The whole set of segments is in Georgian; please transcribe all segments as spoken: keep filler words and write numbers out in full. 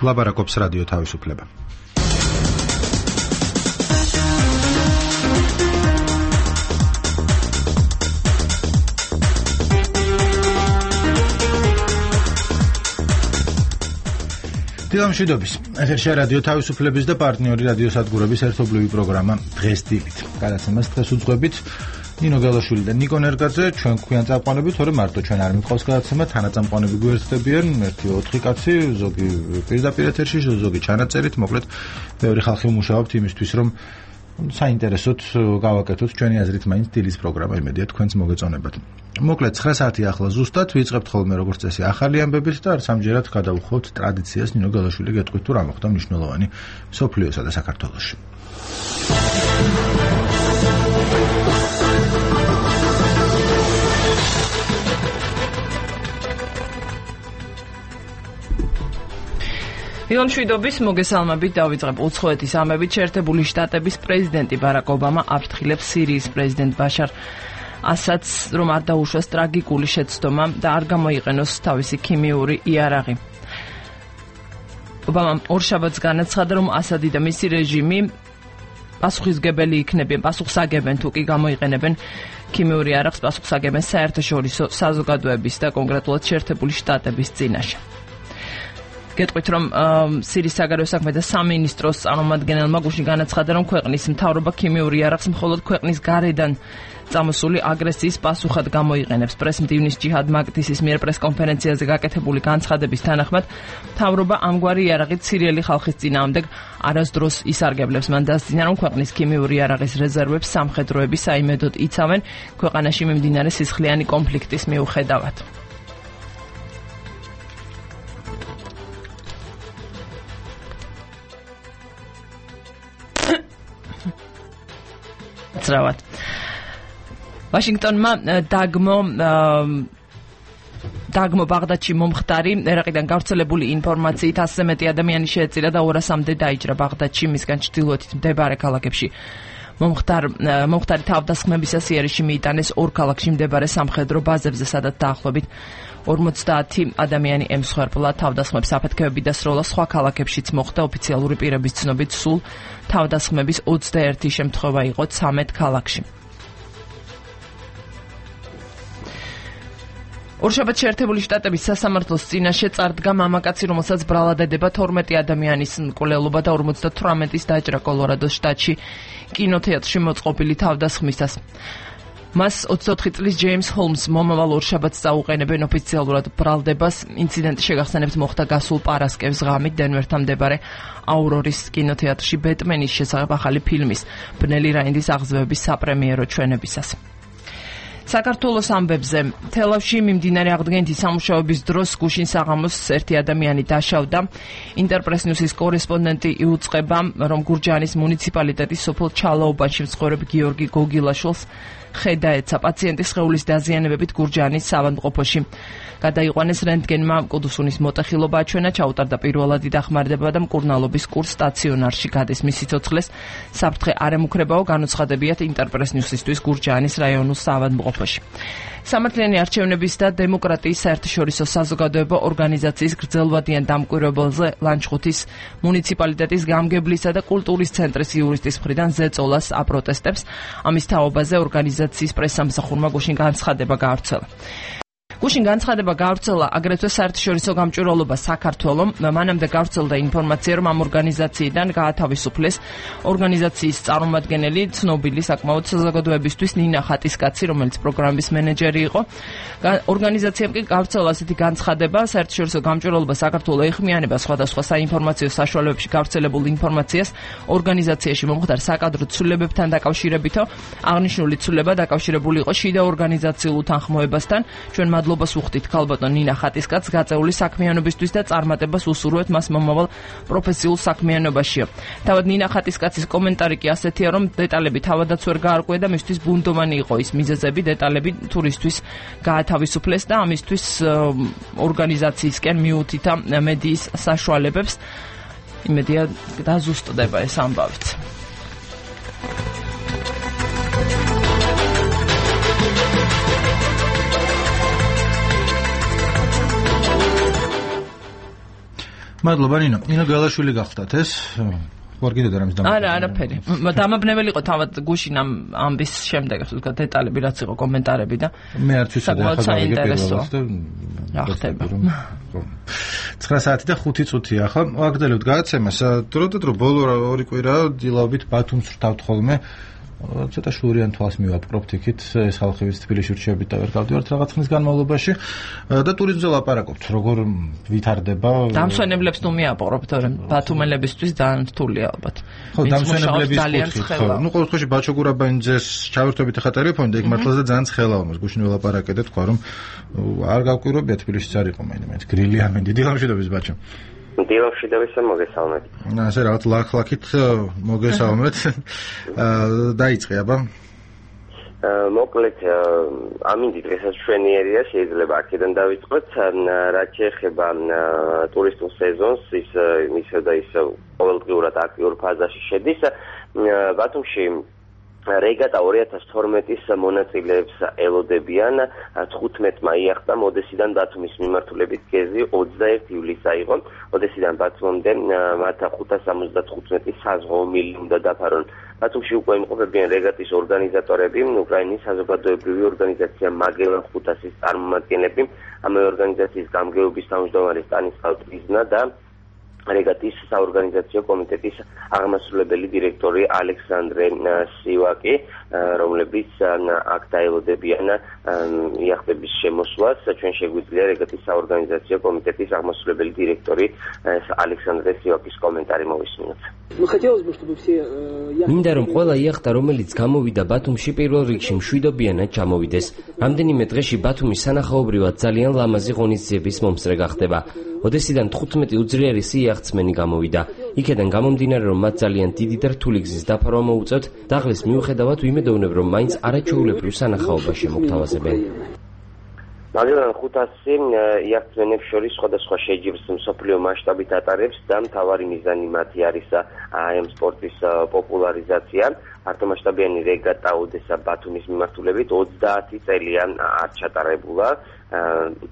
ლაბარაკობს რადიო თავისუფლება. დილამშვიდობის. ეთერშია რადიო თავისუფლების და პარტნიორი რადიო სადგურების ერთობლივი პროგრამა დღეს დილით. გადაცემას დღეს უძღვებით ნინო გელაშვილი და ნიკო ნერგაძე. ჩვენ გვქვიან წამყვანები, თორემ მარტო ჩვენ არ მიყავს გადაცემა, თანაწამყვანები გვერდდებიან, ერთი ოთხი კაცი, ზოგი პირდაპირ ეთერში, ზოგი ჩანაწერით, მოკლედ ბევრი ხალხი მუშაობთ იმისთვის, რომ საინტერესოდ გავაკეთოთ ჩვენი აზრით მაინც დილის პროგრამა, იმედია თქვენც მოგეწონებათ. მოკლედ ცხრა საათი ახლა ზუსტად ვიწყებთ ხოლმე როგორც წესი ახალი ამბებით და არც ამჯერად გადავუხოთ ტრადიციას ნინო გელაშვილი გეტყვით თუ რა მოხდა მნიშვნელოვანი მსოფლიოსა და საქართველოში. დილამშვიდობის მოგესალმებით, დავიწყებ უცხოეთის ამებით. შეერთებული შტატების პრეზიდენტი ბარაკ ობამა აფრთხილებს სირიის პრეზიდენტ ბაშარ ასადს, რომ არ დაუშვას ტრაგიკული შეცდომა და არ გამოიყენოს თავისი ქიმიური იარაღი. ობამამ ორშაბათს განაცხადა, რომ ასადი და მისი რეჟიმი პასუხისმგებელი იქნებიან, პასუხსაგებენ თუ კი გამოიყენებენ ქიმიური იარაღს პასუხსაგებენ საერთაშორისო საზოგადოების და კონკრეტულად შეერთებული შტატების წინაშე. გეტყვით, რომ სირიის საგარეო საქმეთა სამინისტროს წარმომადგენელმა გუშინ განაცხადა, რომ ქვეყნის მთავრობა ქიმიური იარაღს მხოლოდ ქვეყნის გარედან წამოსული აგრესიის პასუხად გამოიყენებს. პრეს-მდივნის ჯიჰად მაკდისის მიერ პრეს-კონფერენციაზე გაკეთებული განცხადების თანახმად, მთავრობა ამგვარი იარაღით სირიელი ხალხის წინააღმდეგ არასდროს ისარგებლებს. მან დასძინა, რომ ქვეყნის ქიმიური იარაღის რეზერვებს სამხედროები საიმედოდ იცავენ ქვეყანაში მიმდინარე სისხლიანი კონფლიქტის მიუხედავად. ძრავად. ვაშინგტონმა დაგმო დაგმო ბაღდადში მომხდარი ერაყიდან გავრცელებული ინფორმაციით ასზე მეტი ადამიანი შეეწირა და ორასამდე დაიჭრა ბაღდადში, მისგან ჩრდილოეთით მდებარე ქალაქებში. მომხდარ მომხდარი თავდასხმებისას იერიში მიიტანეს ორ ქალაქში მდებარე სამხედრო ბაზებზე, სადაც დაახლოებით ორმოცდაათი ადამიანი ემსხვერპლა. თავდასხმების აფეთქებები და სროლა სხვა ქალაქებშიც მოხდა. ოფიციალური პირების ცნობით სულ თავდასხმების ოცდაერთი შემთხვევა იყო ცამეტ ქალაქში. ორშაბათს შეერთებული შტატების სასამართლოს წინაშე წარდგა მამაკაცი, რომელსაც ბრალად ედება თორმეტი ადამიანის მკვლელობა და ორმოცდათვრამეტის დაჭრა კოლორადოს შტატში კინოთეატრში მოწყობილი თავდასხმისას. მას ოცდაოთხი წლის ჯეიმს ჰოლმს მომავალ ორშაბათს წაუყენებენ ოფიციალურად ბრალდებას. ინციდენტი შეგახსენებთ მოხდა გასულ პარასკევს ღამით დენვერთან მდებარე აურორის კინოთეატრში ბეტმენის შესახებ ახალი ფილმის ბნელი რაინდის აღზევების საპრემიერო ჩვენებისას. საქართველოს ამბებზე. თელავში მიმდინარე აღდგენითი სამუშაოების დროს გუშინ საღამოს ერთი ადამიანი დაშავდა. ინტერპრეს-ნიუსის კორესპონდენტი იუწყება, რომ გურჯაანის მუნიციპალიტეტის სოფელ ჩალაუბანში მცხოვრებ გიორგი გოგილაშვილს ხედა ეცა. პაციენტის სხეულის დაზიანებებით გურჯაანის საავადმყოფოში გადაიყვანეს რენტგენმა. კუდუსუნის მოტეხილობა აჩვენა, ჩაუტარდა პირველადი დახმარება და მკურნალობის კურს სტაციონარში გადის. მისი ცოცხლეს საფრთხე არ ემუქრებაო, განუცხადებიათ ინტერპრეს-ნიუსისთვის გურჯაანის რაიონულ საავადმყოფოში. სამართლიანი არჩევნების და დემოკრატიის საერთაშორისო საზოგადოება ორგანიზაციის გრძელვადიან დამკვირვებელზე ლანჩხუთის მუნიციპალიტეტის გამგებლისა და კულტურის ცენტრის იურისტის მხრიდან ზეწოლას აპროტესტებს. ამის თაობაზე ორგანიზაციის პრესსამსახურმა გუშინ განცხადება გაავრცელა. გუშინ განცხადება გაავრცელა აგრეთვე საერთაშორისო გამჭვირვალობა საქართველომ. მანამდე გაავრცელდა ინფორმაცია, რომ ამ ორგანიზაციიდან გაათავისუფლეს ორგანიზაციის წარმომადგენელი, ცნობილი საკმაოდ საზოგადოებისთვის ნინა ხატისკაცი, რომელიც პროგრამის მენეჯერი იყო. ორგანიზაციამ კი გაავრცელა ასეთი განცხადება: საერთაშორისო გამჭვირვალობა საქართველოს ეხმიანება სხვადასხვა საინფორმაციო საშუალებებში გავრცელებულ ინფორმაციას ორგანიზაციაში მომხდარ საკადრო ცვლილებებთან დაკავშირებითო. აღნიშნული ცვლილება დაკავშირებული იყო შიდა ორგანიზაციულ უთანხმოებასთან. ჩვენ მადლობას ვუხდით ქალბატონ ნინა ხატისკაცს გაწეული საქმიანობისთვის და წარმატებას უსურვებთ მას მომავალ პროფესიულ საქმიანობაშიო. თავად ნინა ხატისკაცის კომენტარი კი ასეთია, რომ დეტალები თავადაც ვერ გაარკვია და მისთვის ბუნდოვანი იყო ის მიზეზები, დეტალები თურისთვის გაათავისუფლეს და ამისთვის ორგანიზაციისკენ მიუთითა მედიის საშუალებებს. იმედია დაზუსტდება ეს ამბავიც. მადლობა ნინო. ნინო გალაშვილი გახდათ ეს? ვარ კიდე და რამის დამატება. არა, არაფერი. დამაბნეველი იყო თავად გუშინ ამ ამბის შემდეგ, ასე ვთქვათ, დეტალები რაც იყო კომენტარები და მე არც ვიცოდი ახლა დავიგე პირველად და რა ხდება. ცხრა საათი და ხუთი წუთია ახლა. ვაგრძელებთ გადაცემას. დრო და დრო ბოლო ორი კვირა დილაობით ბათუმს ვრთავთ ხოლმე. ცოტა შურიან თვალს მივაპყრობთ იქით ეს ხალხი ვიც თბილისში რჩებით და ვერ გავდივართ რაღაც ხნის განმავლობაში და ტურიზმზე ლაპარაკობთ როგორ ვითარდება დამსვენებლებს თუ მიაპყრობთ რომ ბათუმელებისთვის ძალიან რთულია ალბათ ხო დამსვენებლების კუთხით ხო ნუ ყოველ შემთხვევაში ბაჩო გურაბანიძეს ჩავერთვებით ახლა ტელეფონი და იქ მართლაც და ძალიან ცხელაა მას გუშინ ველაპარაკეთ თქვა რომ არ გავკვირვებია თბილისში არ იყო მაინც გრილი ამენ დიდი გამშვიდობის ბაჩო დილავშიდების მოგესალმებით. ასე რაღაც ლაქ-ლაქით მოგესალმეთ. დაიწყე აბა. მოკლედ ამინდი დღესაც ჩვენიერია შეიძლება აქედან დავიწყოთ რაც შეეხება ტურისტულ სეზონს ის ისე და ისე ყოველდღიურად აქტიურ ფაზაში შედის ბათუმში რეგატა ორი ათას თორმეტის მონაწილეებს ელოდებიან თხუთმეტმა იახტა მოდესიდან ბათუმის მიმართულებით გეზი ოცდაერთი ივლისს აიღო ოდესიდან ბათუმამდე მათ ხუთას ორმოცდათხუთმეტი საზღვაო მილი უნდა დაფარონ ბათუმში უკვე იმყოფებიან რეგატის ორგანიზატორები უკრაინის საზოგადოებრივი ორგანიზაცია მაგელან ხუთასის წარმომადგენლები ამავე ორგანიზაციის გამგეობის თავმჯდომარე სტანისლავ ტრიზნა და რეგატის საორგანიზაციო კომიტეტის აღმასრულებელი დირექტორი ალექსანდრე სივაკი, რომლებიც აქ დაელოდებიან იახტების შემოსვლას, ჩვენ შეგვიძლია რეგატის საორგანიზაციო კომიტეტის აღმასრულებელი დირექტორი ალექსანდრე სივაკის კომენტარი მოვისმინოთ. მინდა რომ ყველა იახტა, რომელიც გამოვიდა ბათუმში პირველ რიგში მშვიდობიანად ჩამოვიდეს. რამდენიმე დღეში ბათუმის სანახაობრივად ძალიან ლამაზი ღონისძიების მომსწრე გახდება. ოდესიდან თხუთმეტი უძლიერესი იახტსმენი გამოვიდა. იქედან გამომდინარე რომ მათ ძალიან დიდი და რთული გზის დაფარვა მოუწევთ, დაღლის მიუხედავად ვიმედოვნებ რომ მაინც არაჩვეულებრივ სანახაობას შემოგთავაზებენ. მაგალითად ხუთასი იახტსმენებს შორის სხვადასხვა შეჯიბრს მსოფლიო მასშტაბით ატარებს და მთავარი მიზანი მათი არის ამ სპორტის პოპულარიზაცია. მართლმასშტაბიანი რეგატა ოდესა ბათუმის მიმართულებით ოცდაათი წელია არ ჩატარებულა.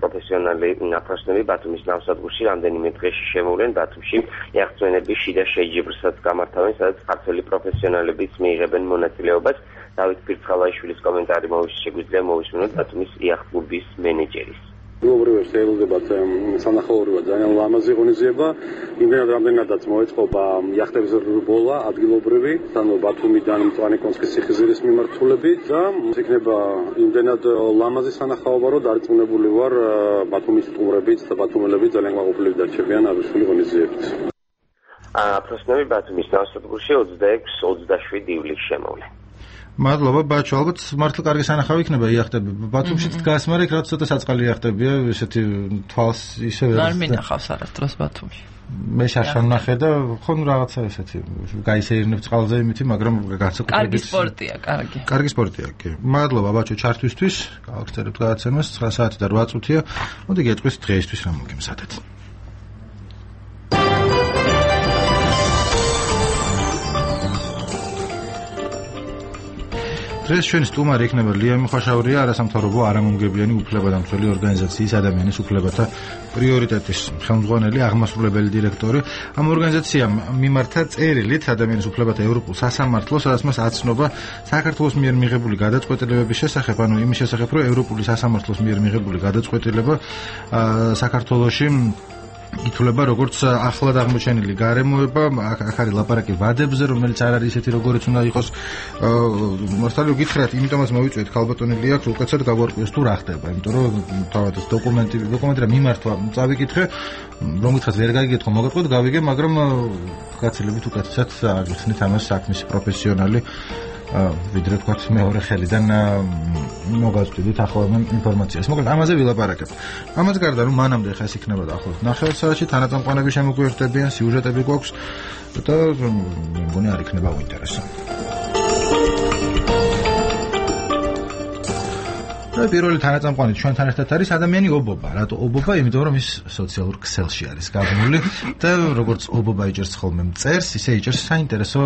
პროფესიონალი ნაფროსნები ბათუმის ნავსადგურში რამდენიმე დღეში შემოვლენ ბათუმში იახტსმენების შიდა შეჯიბრსაც გამართავენ, სადაც ქართველი პროფესიონალებიც მიიღებენ მონაწილეობას. დავით ფირცხალაიშვილის კომენტარი შეგვიძლია მოვისმინოთ ბათუმის იახტ-კლუბის მენეჯერის. გლობალურს ელოდებათ სანახაობრივად ძალიან ლამაზი ღონისძიება. იმდენად რამდენადაც მოეწყობა იახტების რბოლა ადგილობრივი, ანუ ბათუმიდან მწვანე-კონსკის ციხისძირის მიმართულებით და იქნება იმდენად ლამაზი სანახაობა, რომ დარწმუნებული ვარ ბათუმის სტუმრებიც და ბათუმელები ძალიან გაყოფილები დარჩებიან აღნიშნული ღონისძიებით. აფროსნები ბათუმის ნავსადგურში ოცდაექვსი ოცდაშვიდი ივლისს შემოვლენ. მადლობა ბაჩო, ალბათ მართლა კარგი სანახავი იქნება იახტები. ბათუმშიც დგას, მაგრამ იქ რაც ცოტა საწყალი იახტებია, ესეთი თვალს ისე ვერ არ მინახავს არასდროს ბათუმში. მე შარშან ნახე და ხო ნუ რაღაცა ესეთი გაისეირნებ წყალზე იმითი, მაგრამ განსაკუთრებით კარგი სპორტია, კარგი. კარგი სპორტია, კი. მადლობა ბაჩო ჩართვისთვის. გავაგრძელებთ გადაცემას ცხრა საათი და რვა წუთია. მოდი გეტყვის დღეისთვის რა მოგემზადეთ. დღეს ჩვენი სტუმარი იქნება ლია მიხაშავრია, არასამთავრობო არამომგებიანი უფლებადამცველი ორგანიზაციის ადამიანის უფლებათა პრიორიტეტის ხელმძღვანელი, აღმასრულებელი დირექტორი. ამ ორგანიზაციამ მიმართა წერილით ადამიანის უფლებათა ევროპულ სასამართლოს, სადაც მას აცნობა საქართველოს მიერ მიღებული გადაწყვეტილებების შესახებ, ანუ იმის შესახებ, რომ ევროპული სასამართლოს მიერ მიღებული გადაწყვეტილება საქართველოში ითვლება როგორც ახლად აღმოჩენილი გარემოება, აქ არის ლაპარაკი ვადებზე, რომელიც არ არის ისეთი როგორიც უნდა იყოს. მასთან გითხრათ, იმიტომაც მოვიწვიეთ ქალბატონი ლია, უკაცრავად გავარკვიოს თუ რა ხდება, იმიტომ რომ თავად ეს დოკუმენტი, დოკუმენტი რა მიმართვა წავიკითხე, რომ გითხრათ ვერ გაიგეთქო, მოგეთქვით, გავიგე, მაგრამ გაცილებით უკეთესად აღიხსნით ამას საქმის პროფესიონალი. ვიდრე თქვათ მეორე ხელიდან მოგაწვდით ახალ ინფორმაციას. მოკლედ ამაზე ვილაპარაკებ. ამას გარდა რომ მანამდე ხა ეს იქნება დაახლოებით ნახევარ საათში თანაწამყვანები შემოგვიერთდებიან, სიუჟეტები გვაქვს და მე მგონი არ იქნება უინტერესო. და პირველი თანაწამყვანი ჩვენთან ერთად არის ადამიანი ობობა. რატო ობობა? იმიტომ რომ ის სოციალურ ქსელში არის გაბმული და როგორც ობობა იჭერს ხოლმე მწერს, ისე იჭერს საინტერესო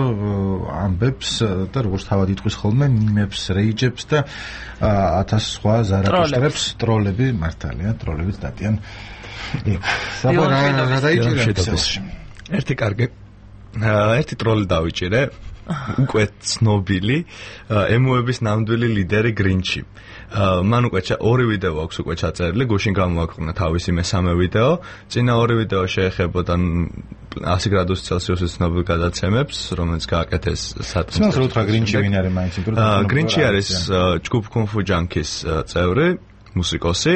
ამბებს და როგორც თავად იტყვის ხოლმე მიმებს, რეიჯებს და ათას სხვა ზარაკოშტრებს, ტროლები მართალია, ტროლებიც დადიან. იქ საბა რა დაიჭირა ქსელში. ერთი კარგი ერთი ტროლი დავიჭირე. უკვე ცნობილი ემოების ნამდვილი ლიდერი გრინჩი. მან უკვე ორი ვიდეო აქვს უკვე ჩაწერილი, გუშინ გამოაქვეყნა თავისი მესამე ვიდეო. წინა ორი ვიდეო შეეხებოდა ასი გრადუსი ცელსიუსის ცნობილ გადაცემებს, რომელიც გააკეთეს სატყის. სულ რა უთხრა გრინჩი ვინ არის მაინც? გრინჩი არის ჯგუფ კუნფუ ჯანკის წევრი. მუსიკოსი,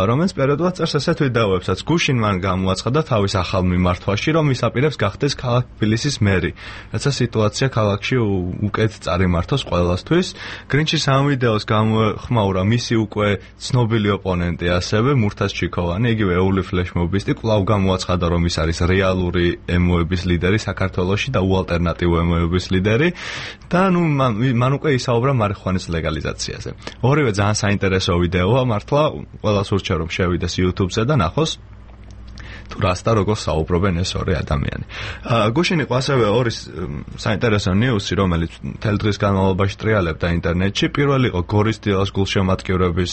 რომელიც პერიოდულად წერს ასეთ ვიდეოებსაც. გუშინ მან გამოაცხადა თავის ახალ მიმართვაში, რომ ის აპირებს გახდეს ქალაქ თბილისის მერი. რაცა სიტუაცია ქალაქში უკეთ წარიმართოს ყველასთვის. გრინჩის ამ ვიდეოს გამოხმაურა მისი უკვე ცნობილი ოპონენტი, ასევე მურთაზ ჩიქოვანი, იგივე ეული ფლეშმობისტი, კვლავ გამოაცხადა, რომ ის არის რეალური ემოების ლიდერი საქართველოში და უალტერნატივო ემოების ლიდერი და ნუ მან უკვე ისაუბრა მარიხუანის ლეგალიზაციაზე. ორივე ძალიან საინტერესო ვიდეოა. მართლა ყველას ურჩევ რომ შევიდეს YouTube-ზე და ნახოს თუ რას და როგორ საუბრობენ ეს ორი ადამიანი. გუშინ იყო ასევე ორი საინტერესო ნიუსი, რომელიც მთელ დღის განმავლობაში ტრიალებდა ინტერნეტში. პირველი იყო გორის დილას გულშემატკივრების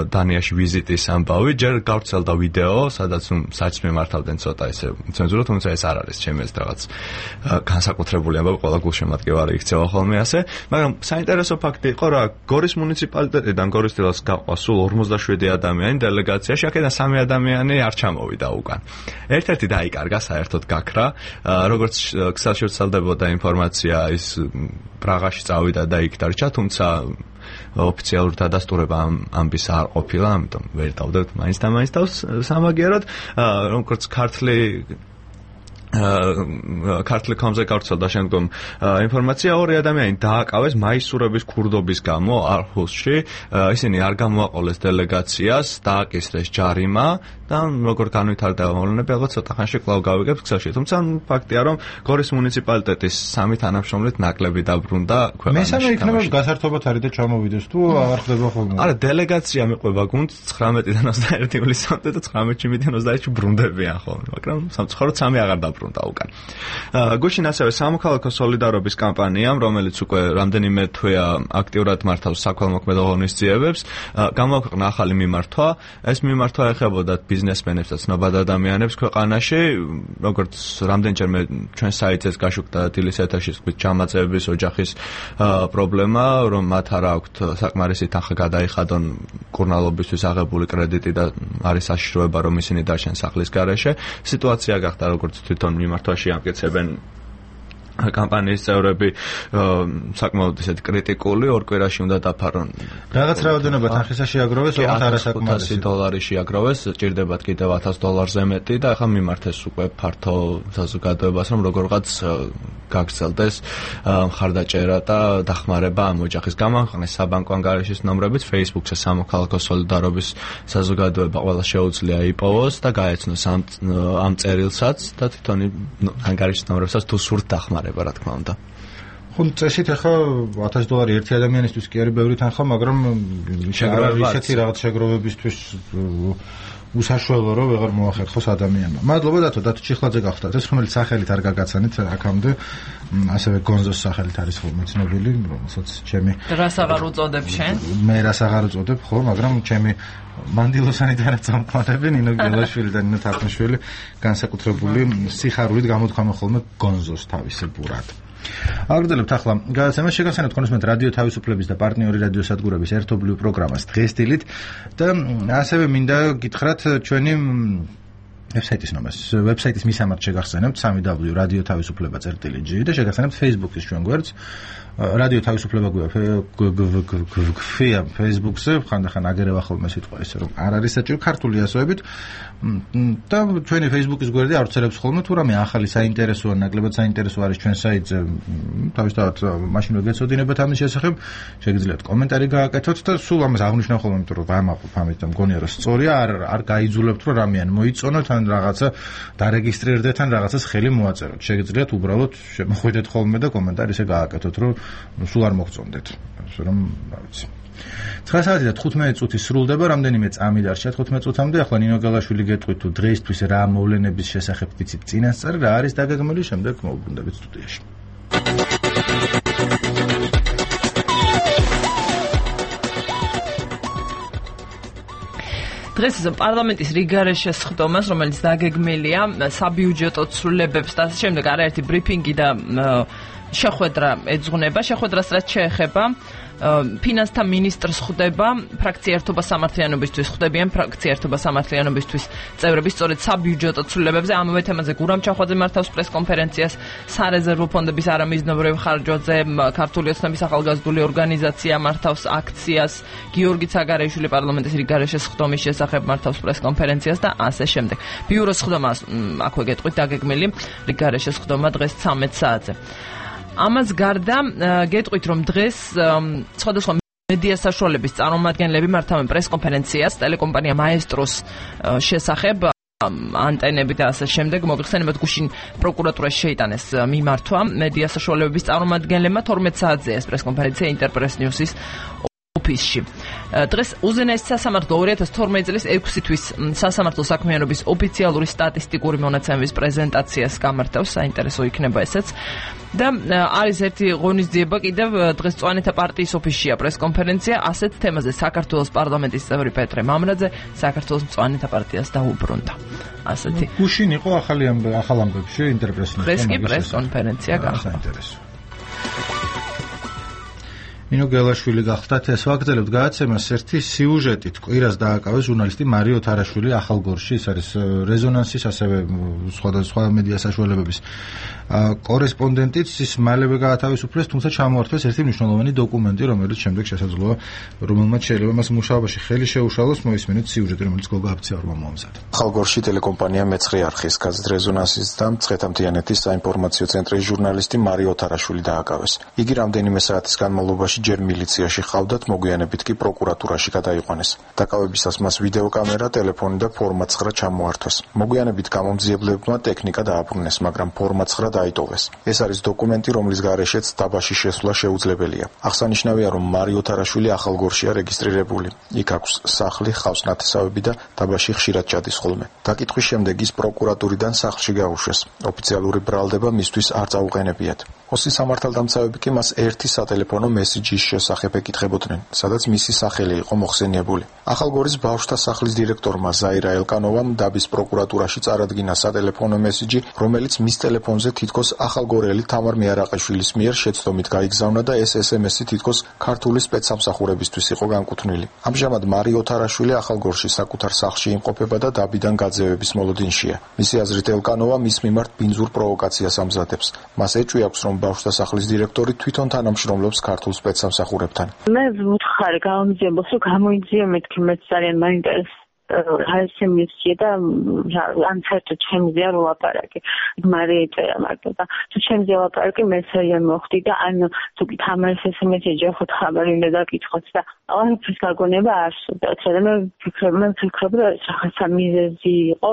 დანიაში ვიზიტის ამბავი. ჯერ გავრცელდა ვიდეო, სადაც საჭმე მართავდნენ ცოტა ესე ცენზურა, თუმცა ეს არ არის ჩემი ეს რაღაც განსაკუთრებული ამბავი, ყველა გულშემატკივარი იქცევა ხოლმე ასე. მაგრამ საინტერესო ფაქტი იყო რა, გორის მუნიციპალიტეტიდან გორის დილას გაყვა სულ ორმოცდაშვიდი ადამიანი დელეგაციაში, აქედან სამი ადამიანი არ ჩამოვიდა უკან. ერთ-ერთი დაიკარგა საერთოდ გაქრა, როგორც ქსელში ვრცელდებოდა ინფორმაცია, ის პრაღაში წავიდა და იქ დარჩა, თუმცა ოფიციალური დადასტურება ამბის არ ყოფილა, ამიტომ ვერ დავდებთ მაინც და მაინც თავს სამაგიეროდ, როგორც ქართლი ქართლი კომზე გავრცელდა შემდგომ ინფორმაცია, ორი ადამიანი დააკავეს მაისურების ქურდობის გამო არხუსში, ისინი არ გამოაყოლეს დელეგაციას, დააკისრეს ჯარიმა და როგორ განვითარდება მოვლენები, ალბათ ცოტა ხანში კვლავ გავიგებთ ქსელში. თუმცა ფაქტია, რომ გორის მუნიციპალიტეტის სამი თანამშრომლით ნაკლები დაბრუნდა ქვეყანაში. მესამე იქნება გასართობად არის და ჩამოვიდეს თუ არ ხდება ხოლმე. არა, დელეგაცია მიყვება გუნდს ცხრამეტიდან ოცდაერთი ივლისამდე და ცხრამეტში მიდიან ოცდაერთში ბრუნდებიან ხოლმე, მაგრამ სამწუხაროდ სამი აღარ დაბრუნდა უკან. გუშინ ასევე სამოქალაქო სოლიდარობის კამპანიამ, რომელიც უკვე რამდენიმე თვეა აქტიურად მართავს საქველმოქმედო ღონისძიებებს, გამოაქვეყნა ახალი მიმართვა. ეს მიმართვა ეხებოდა ბიზნესმენებს და ცნობად ადამიანებს ქვეყანაში, როგორც რამდენჯერმე ჩვენ საიტზეც გაშუქდა დილის ეთერში ჩამაწევების ოჯახის პრობლემა, რომ მათ არ აქვთ საკმარისი თანხა გადაიხადონ კურნალობისთვის აღებული კრედიტი და არის საშიშროება, რომ ისინი დარჩენ სახლის გარეშე. სიტუაცია გახდა როგორც თვითონ მიმართვაში ამკეცებენ კამპანიის წევრები საკმაოდ ისეთ კრიტიკული, ორ კვირაში უნდა დაფარონ. რაღაც რაოდენობა თანხისა შეაგროვეს, ოღონდ არასაკმარისი დოლარი შეაგროვეს, ჭირდებათ კიდევ ათას დოლარზე მეტი და ახლა მიმართეს უკვე ფართო საზოგადოებას, რომ როგორღაც გაგრძელდეს მხარდაჭერა და დახმარება ამ ოჯახის. გამოაქვეყნეს საბანკო ანგარიშის ნომრებიც Facebook-ზე სამოქალაქო სოლიდარობის საზოგადოება ყველა შეუძლია იპოვოს და გაეცნოს ამ ამ წერილსაც და თვითონ ანგარიშის ნომრებსაც თუ სურთ დახმარება. რა თქმა უნდა. ხო, წესით ახლა ათას დოლარი ერთი ადამიანისთვის კი არის ბევრი თანხა, მაგრამ ისეთი რაღაც შეგროვებისთვის უსაშველო რომ ვეღარ მოახერხოს ადამიანმა. მადლობა დათო, დათო ჩიხლაძე გახდათ. ეს რომელიც სახელით არ გაგაცანით აქამდე, ასევე გონზოს სახელით არის ხოლმე ცნობილი, რომელსაც ჩემი რას აღარ უწოდებ შენ? მე რას აღარ უწოდებ, ხო, მაგრამ ჩემი მანდილოსანი თანაწამყვანები ნინო გელაშვილი და ნინო თახნიშვილი განსაკუთრებული სიხარულით გამოთქვამენ ხოლმე გონზოს თავისებურად. აგრძელებთ ახლა გადაცემას შეგახსენებთ კონსუმენტ რადიო თავისუფლების და პარტნიორი რადიო სადგურების ერთობლივ პროგრამას დღესდილით და ასევე მინდა გითხრათ ჩვენი ვებსაიტის ნომერს, ვებსაიტის მისამართი შეგახსენებთ double-u double-u double-u რადიო თავისუფლება წერტილი ჯი და შეგახსენებთ Facebook-ის ჩვენ გვერდს რადიო თავისუფლება გვია Facebook-ზე, ხანდახან აგერევა ხოლმე სიტყვა ისე რომ არ არის საჭირო ქართული ასოებით და ჩვენი Facebook-ის გვერდი ავრცელებს ხოლმე თუ რამე ახალი საინტერესოა, ნაკლებად საინტერესო არის ჩვენ საიტზე, თავისთავად მაშინ ვეგეცოდინებათ ამის შესახებ, შეგიძლიათ კომენტარი გააკეთოთ და სულ ამას აღნიშნავ ხოლმე, იმიტომ რომ ვამაყობ ამით და მგონია რომ სწორია, არ არ გაიძულებთ რომ რამე ან მოიწონოთ, ან თან რაღაცა დარეგისტრირდეთ, თან რაღაცას ხელი მოაწეროთ. შეგიძლიათ უბრალოდ შემოხვიდეთ ხოლმე და კომენტარი ისე გააკეთოთ, რომ სულ არ მოგწონდეთ. ასე რომ, რა ვიცი. ცხრა საათი და თხუთმეტი წუთი სრულდება, რამდენიმე წამი დარჩა თხუთმეტ წუთამდე. ახლა ნინო გალაშვილი გეტყვით თუ დღეისთვის რა მოვლენების შესახებ ვიცით წინასწარ, რა არის დაგეგმილი, შემდეგ მოვუბრუნდებით სტუდიაში. დღეს პარლამენტის რიგარეშე სხდომას, რომელიც დაგეგმილია საბიუჯეტო ცვლილებებს და ასე შემდეგ, არაერთი ბრიფინგი და შეხვედრა ეძღვნება. შეხვედრას რაც შეეხება, ფინანსთა მინისტრს ხვდება ფრაქცია ერთობა სამართლიანობისთვის, ხვდებიან ფრაქცია ერთობა სამართლიანობისთვის წევრები სწორედ საბიუჯეტო ცვლილებებზე. ამავე თემაზე გურამ ჩახვაძე მართავს პრესკონფერენციას, სარეზერვო ფონდების არამიზნობრივ ხარჯვაზე ქართული ოცნების ახალგაზრდული ორგანიზაცია მართავს აქციას, გიორგი ცაგარეიშვილი პარლამენტის რიგარეშე სხდომის შესახებ მართავს პრესკონფერენციას და ასე შემდეგ. ბიუროს სხდომა აქვე გეტყვით დაგეგმილი რიგარეშე სხდომა დღეს ცამეტ საათზე. ამას გარდა გეტყვით, რომ დღეს სხვადასხვა მედია საშუალების წარმომადგენლები მართავენ პრესკონფერენციას ტელეკომპანია მაესტროს შესახებ, ანტენები და ასე შემდეგ. მოიხსენებათ, გუშინ პროკურატურაში შეიტანეს მიმართვა მედია საშუალების წარმომადგენლებმა. თორმეტ საათზე ეს პრესკონფერენცია ინტერპრეს ნიუსის ოფისში. დღეს უზენაესი სასამართლო ორი ათას თორმეტი წლის ექვსი თვის სასამართლო საქმიანობის ოფიციალური სტატისტიკური მონაცემების პრეზენტაციას გამართავს, საინტერესო იქნება ესეც. და არის ერთი ღონისძიება კიდევ დღეს წვანეთა პარტიის ოფისშია პრესკონფერენცია ასეთ თემაზე. საქართველოს პარლამენტის წევრი პეტრე მამრაძე საქართველოს წვანეთა პარტიას დაუბრუნდა. ასეთი გუშინ იყო ახალი ახალ ამბებში ინტერპრესის დღეს კი პრესკონფერენცია გახდა. საინტერესო. ნინო გელაშვილი გახდათ ეს ვაგრძელებთ გადაცემას ერთი სიუჟეტით. კვირას დააკავეს ჟურნალისტი მარიო თარაშვილი ახალგორში, ის არის რეზონანსის ასევე სხვადასხვა მედია საშუალებების კორესპონდენტიც. ის მალევე გაათავისუფლეს, თუმცა ჩამოართვეს ერთი მნიშვნელოვანი დოკუმენტი, რომელიც შემდეგ შესაძლოა რომელმაც შეიძლება მას მუშაობაში ხელი შეუშალოს. მოისმენთ სიუჟეტი, რომელიც გოგა აფციარმა მოამზადა. ახალგორში ტელეკომპანია მეცხრე არხის გაზეთ რეზონანსის და მცხეთა-მთიანეთის საინფორმაციო ცენტრის ჟურნალისტი მარიო თარაშვილი დააკავეს. იგი რამდენიმე საათის განმავლობაში ჯერ მილიციაში ხავდათ, მოგვიანებით კი პროკურატურაში გადაიყვანეს. დაკავებისას მას ვიდეოკამერა, ტელეფონი და ფორმა ცხრა ჩამოართვეს. მოგვიანებით გამომძიებლებმა ტექნიკა დააბრუნეს, მაგრამ ფორმა ცხრა დაიტოვეს. ეს არის დოკუმენტი, რომლის გარეშეც დაბაში შესვლა შეუძლებელია. აღსანიშნავია, რომ მარიო თარაშვილი ახალგორშია რეგისტრირებული. იქ აქვს სახლი, ჰყავს ნათესავები და დაბაში ხშირად ჩადის ხოლმე. დაკითხვის შემდეგ ის პროკურატურიდან სახლში გაუშვეს. ოფიციალური ბრალდება მისთვის არ წაუყენებიათ. ოსის სამართალდამცავები კი მას ერთი სატელეფონო მესიჯის შესახებ ეკითხებოდნენ, სადაც მისი სახელი იყო მოხსენიებული. ახალგორის ბავშვთა სახლის დირექტორმა ზაირა ელკანოვამ დაბის პროკურატურაში წარადგინა სატელეფონო მესიჯი, რომელიც მის ტელეფონზე თითქოს ახალგორელი თამარ მეარაყიშვილის მიერ შეცდომით გაიგზავნა და ეს ეს ემ ესი თითქოს ქართული სპეცსამსახურებისთვის იყო განკუთვნილი. ამჟამად მარიო თარაშვილი ახალგორში საკუთარ სახლში იმყოფება და დაბიდან გაძევების მოლოდინშია. მისი აზრით ელკანოვა მის მიმართ ბინძურ პროვოკაციას ამზადებს. მას ეჭვი აქვს, რომ ბავშვთა სახლის დირექტორი თვითონ თანამშრომლობს ქართულ სპეცსამსახურებთან. მე ვუთხარი გამოიძიებოს, რომ გამოიძიე მეთქი მეც ძალიან მაინტერესებს. ჰაისემისია და ან საერთოდ ჩემზეა რო ლაპარაკი. მარე ეწერა მარტო და თუ ჩემზეა ლაპარაკი მე ძალიან მოხდი და ან თუ კი თამაშს ეს მესეჯი ხო ხაბარი უნდა დაკითხოთ და აღარაფრის გაგონება არ სურდა. და მე ვფიქრობ, მე ვფიქრობ რომ რაღაცა მიზეზი იყო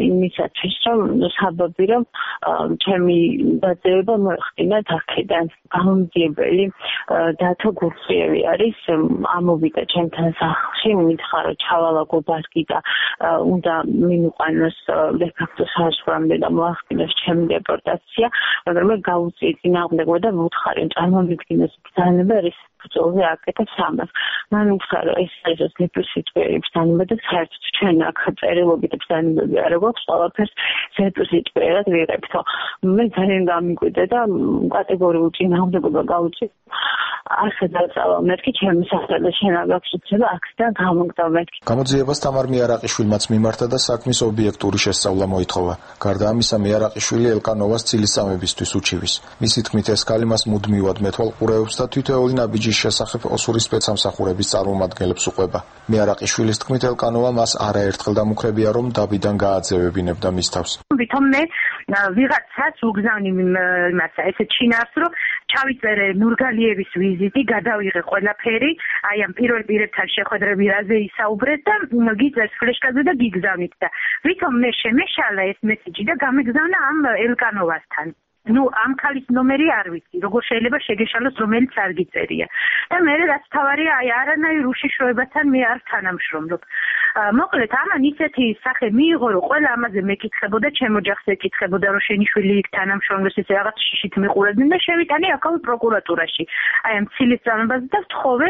იმისათვის, რომ საბაბი რომ ჩემი დაძეება მოეხდინა აქედან. გამომძიებელი დათო გურხიევი არის, ამოვიდა ჩემთან სახლში, მითხრა რომ ჩავალაგო ბარკი და უნდა მიმოყანოს დე-ფაქტო საზღვრამდე და მოახდინოს ჩემი დეპორტაცია, მაგრამ მე გავუწიე წინააღმდეგობა და ვუთხარი რომ წარმომიდგინოს ბრძანება ის ბრძოლზე აკეთებს ამას. მან უთხრა რომ ეს არის ზეპრისიტყვიერი ბრძანება და საერთოდ ჩვენ აქ წერილობით ბრძანებები არ გვაქვს, ყველაფერს ზეპრისიტყვიერად ვიღებთ. მე ძალიან გამიკვირდა და კატეგორიულ წინააღმდეგობა გავუწიე. ასე დაწავა მეთქი ჩემი სახელი და შენ არ გაქვს უცება აქედან გამოგდავ მეთქი. გამოძიებას თამარ მეარაყიშვილმაც მიმართა და საქმის ობიექტური შესწავლა მოითხოვა. გარდა ამისა, მეარაყიშვილი ელკანოვას ცილისწამებისთვის უჩივის. მისი თქმით, ეს ქალი მას მუდმივად მეთვალყურეობს და თითოეული ნაბიჯის შესახებ ოსური სპეცსამსახურების წარმომადგენლებს უყვება. მეარაყიშვილის თქმით, ელკანოვა მას არაერთხელ დამუქრებია, რომ დაბიდან გააძევებინებდა მის თავს. ვითომ მე ვიღაცას უგზავნი იმაცა, ესე ჩინარს, რომ ჩავიწერე ნურგალიევის ვიზიტი, გადავიღე ყველაფერი, აი ამ პირველ პირებთან შეხვედრები რაზე ისაუბრეთ და გიწერს ფლეშკაზე და გიგზავნით და ვითომ მე შემეშალა ეს მესიჯი და გამეგზავნა ამ ელკანოვასთან. ნუ ამ ქალის ნომერი არ ვიცი, როგორ შეიძლება შეგეშალოს, რომელიც არ გიწერია. და მე რაც თავარია, აი არანაირ უშიშროებასთან მე არ თანამშრომლობ. მოკლედ, ამან ისეთი სახე მიიღო, რომ ყველა ამაზე მეკითხებოდა, ჩემ ოჯახს ეკითხებოდა, რომ შენი შვილი იქ თანამშრომლობს, ესე რაღაც შიშით მიყურებდნენ და შევიტანე აქაურ პროკურატურაში. აი ამ ცილის წამებაზე და ვთხოვე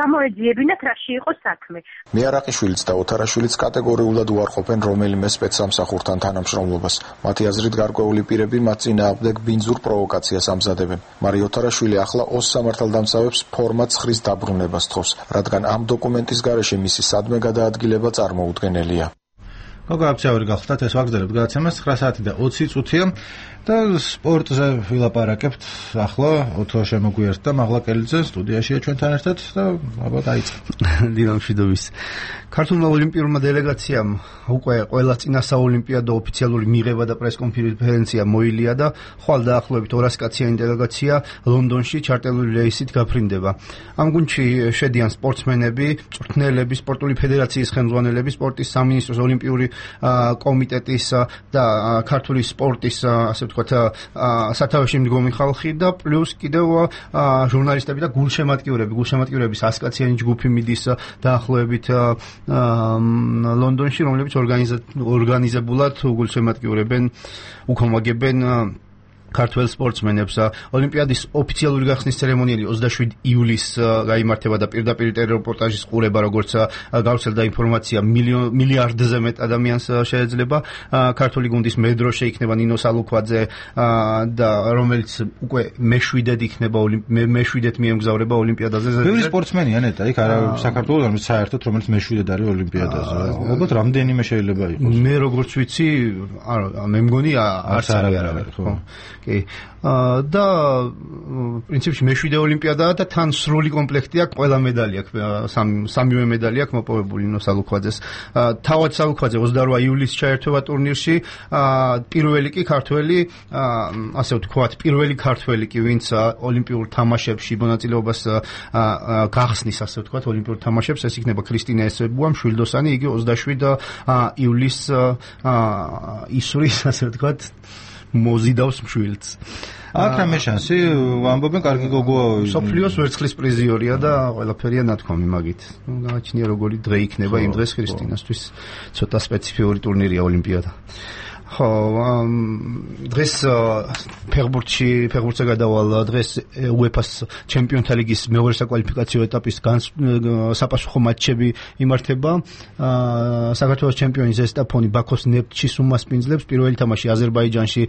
გამოეძიებინათ, რაში იყო საქმე. მიარაყიშვილიც და ოთარაშვილიც კატეგორიულად უარყოფენ რომელიმე სპეცსამსახურთან თანამშრომლობას. მათი აზრით გარკვეული პირები მათ წინააღმდეგ ბინძურ პროვოკაციას ამზადებენ. მარი ოთარაშვილი ახლა ოს სამართალდამცავებს ფორმად ცხრის დაბრუნებას თხოვს, რადგან ამ დოკუმენტის გარეშე მისი სადმე გადაადგილება წარმოუდგენელია. გოგო აბსავერი გახლავთ, ეს ვაგრძელებთ გადაცემას ცხრა საათი და ოცი წუთია და სპორტზე ვილაპარაკებთ. ახლა ოთო შემოგვიერთდა და მაღლა კელიძე სტუდიაშია ჩვენთან ერთად და აბა დაიწყო. დილამშვიდობის. ქართულმა ოლიმპიურმა დელეგაციამ უკვე ყველა წინა საოლიმპიადო ოფიციალური მიღება და პრესკონფერენცია მოილია და ხვალ დაახლოებით ორას კაციანი დელეგაცია ლონდონში ჩარტერული რეისით გაფრინდება. ამ გუნდში შედიან სპორტსმენები, მწვრთნელები, სპორტული ფედერაციის ხელმძღვანელები, სპორტის სამინისტროს ოლიმპიური კომიტეტის და ქართული სპორტის ასე ვთქვათ სათავეში მდგომი ხალხი და პლუს კიდევ ჟურნალისტები და გულშემატკივრები, გულშემატკივრების ას კაციანი ჯგუფი მიდის დაახლოებით ლონდონში, რომლებიც ორგანიზებულად გულშემატკივრებენ, უქომაგებენ ქართველ სპორტსმენებს. ოლიმპიადის ოფიციალური გახსნის ცერემონიალი ოცდაშვიდი ივლისს გაიმართება და პირდაპირ ტელერეპორტაჟის ყურება, როგორც გავრცელდა ინფორმაცია, მილიარდზე მეტ ადამიანს შეეძლება. ქართული გუნდის მედროშე იქნება ნინო სალუქვაძე და რომელიც უკვე მეშვიდედ იქნება მეშვიდედ მიემგზავრება ოლიმპიადაზე. ბევრი სპორტსმენია ნეტა, იქ არა საქართველოს არის საერთოდ, რომელიც მეშვიდედ არის ოლიმპიადაზე. ალბათ რამდენიმე შეიძლება იყოს. მე როგორც ვიცი, არა, მე მგონი არც არავინ, ხო. კი. და პრინციპში მეშვიდე ოლიმპიადაა და თან სრული კომპლექტი აქვს, ყველა medali აქვს, სამივე medali აქვს მოპოვებული ნინო სალუქვაძეს. თავად სალუქვაძე ოცდაორი ივლისს ჩაერთვება ტურნირში, პირველი კი ქართველი, ასე ვთქვათ, პირველი ქართველი კი, ვინც ოლიმპიურ თამაშებში მონაწილეობას გახსნის, ასე ვთქვათ, ოლიმპიურ თამაშებს, ეს იქნება ქრისტინა ესებუა, მშვილდოსანი, იგი ოცდაშვიდი ივლისს ისვრის, ასე ვთქვათ, მოზიდავს მშვილდს. აქ რამე შანსი, ვამბობენ, კარგი გოგოა. სოფლიოს ვერცხლის პრიზიორია და ყველაფერია ნათქვამი მაგით. გააჩნია როგორი დღე იქნება იმ დღეს ქრისტინასთვის. ცოტა სპეციფიური ტურნირია ოლიმპიადა. ხო, დღეს ფეხბურთში, ფეხბურთზე გადავალ დღეს უეფას ჩემპიონთა ლიგის მეორე საკვალიფიკაციო ეტაპის საპასუხო მატჩები იმართება. საქართველოს ჩემპიონი ზესტაფონი ბაქოს ნეფტში უმასპინძლებს. პირველი თამაში აზერბაიჯანში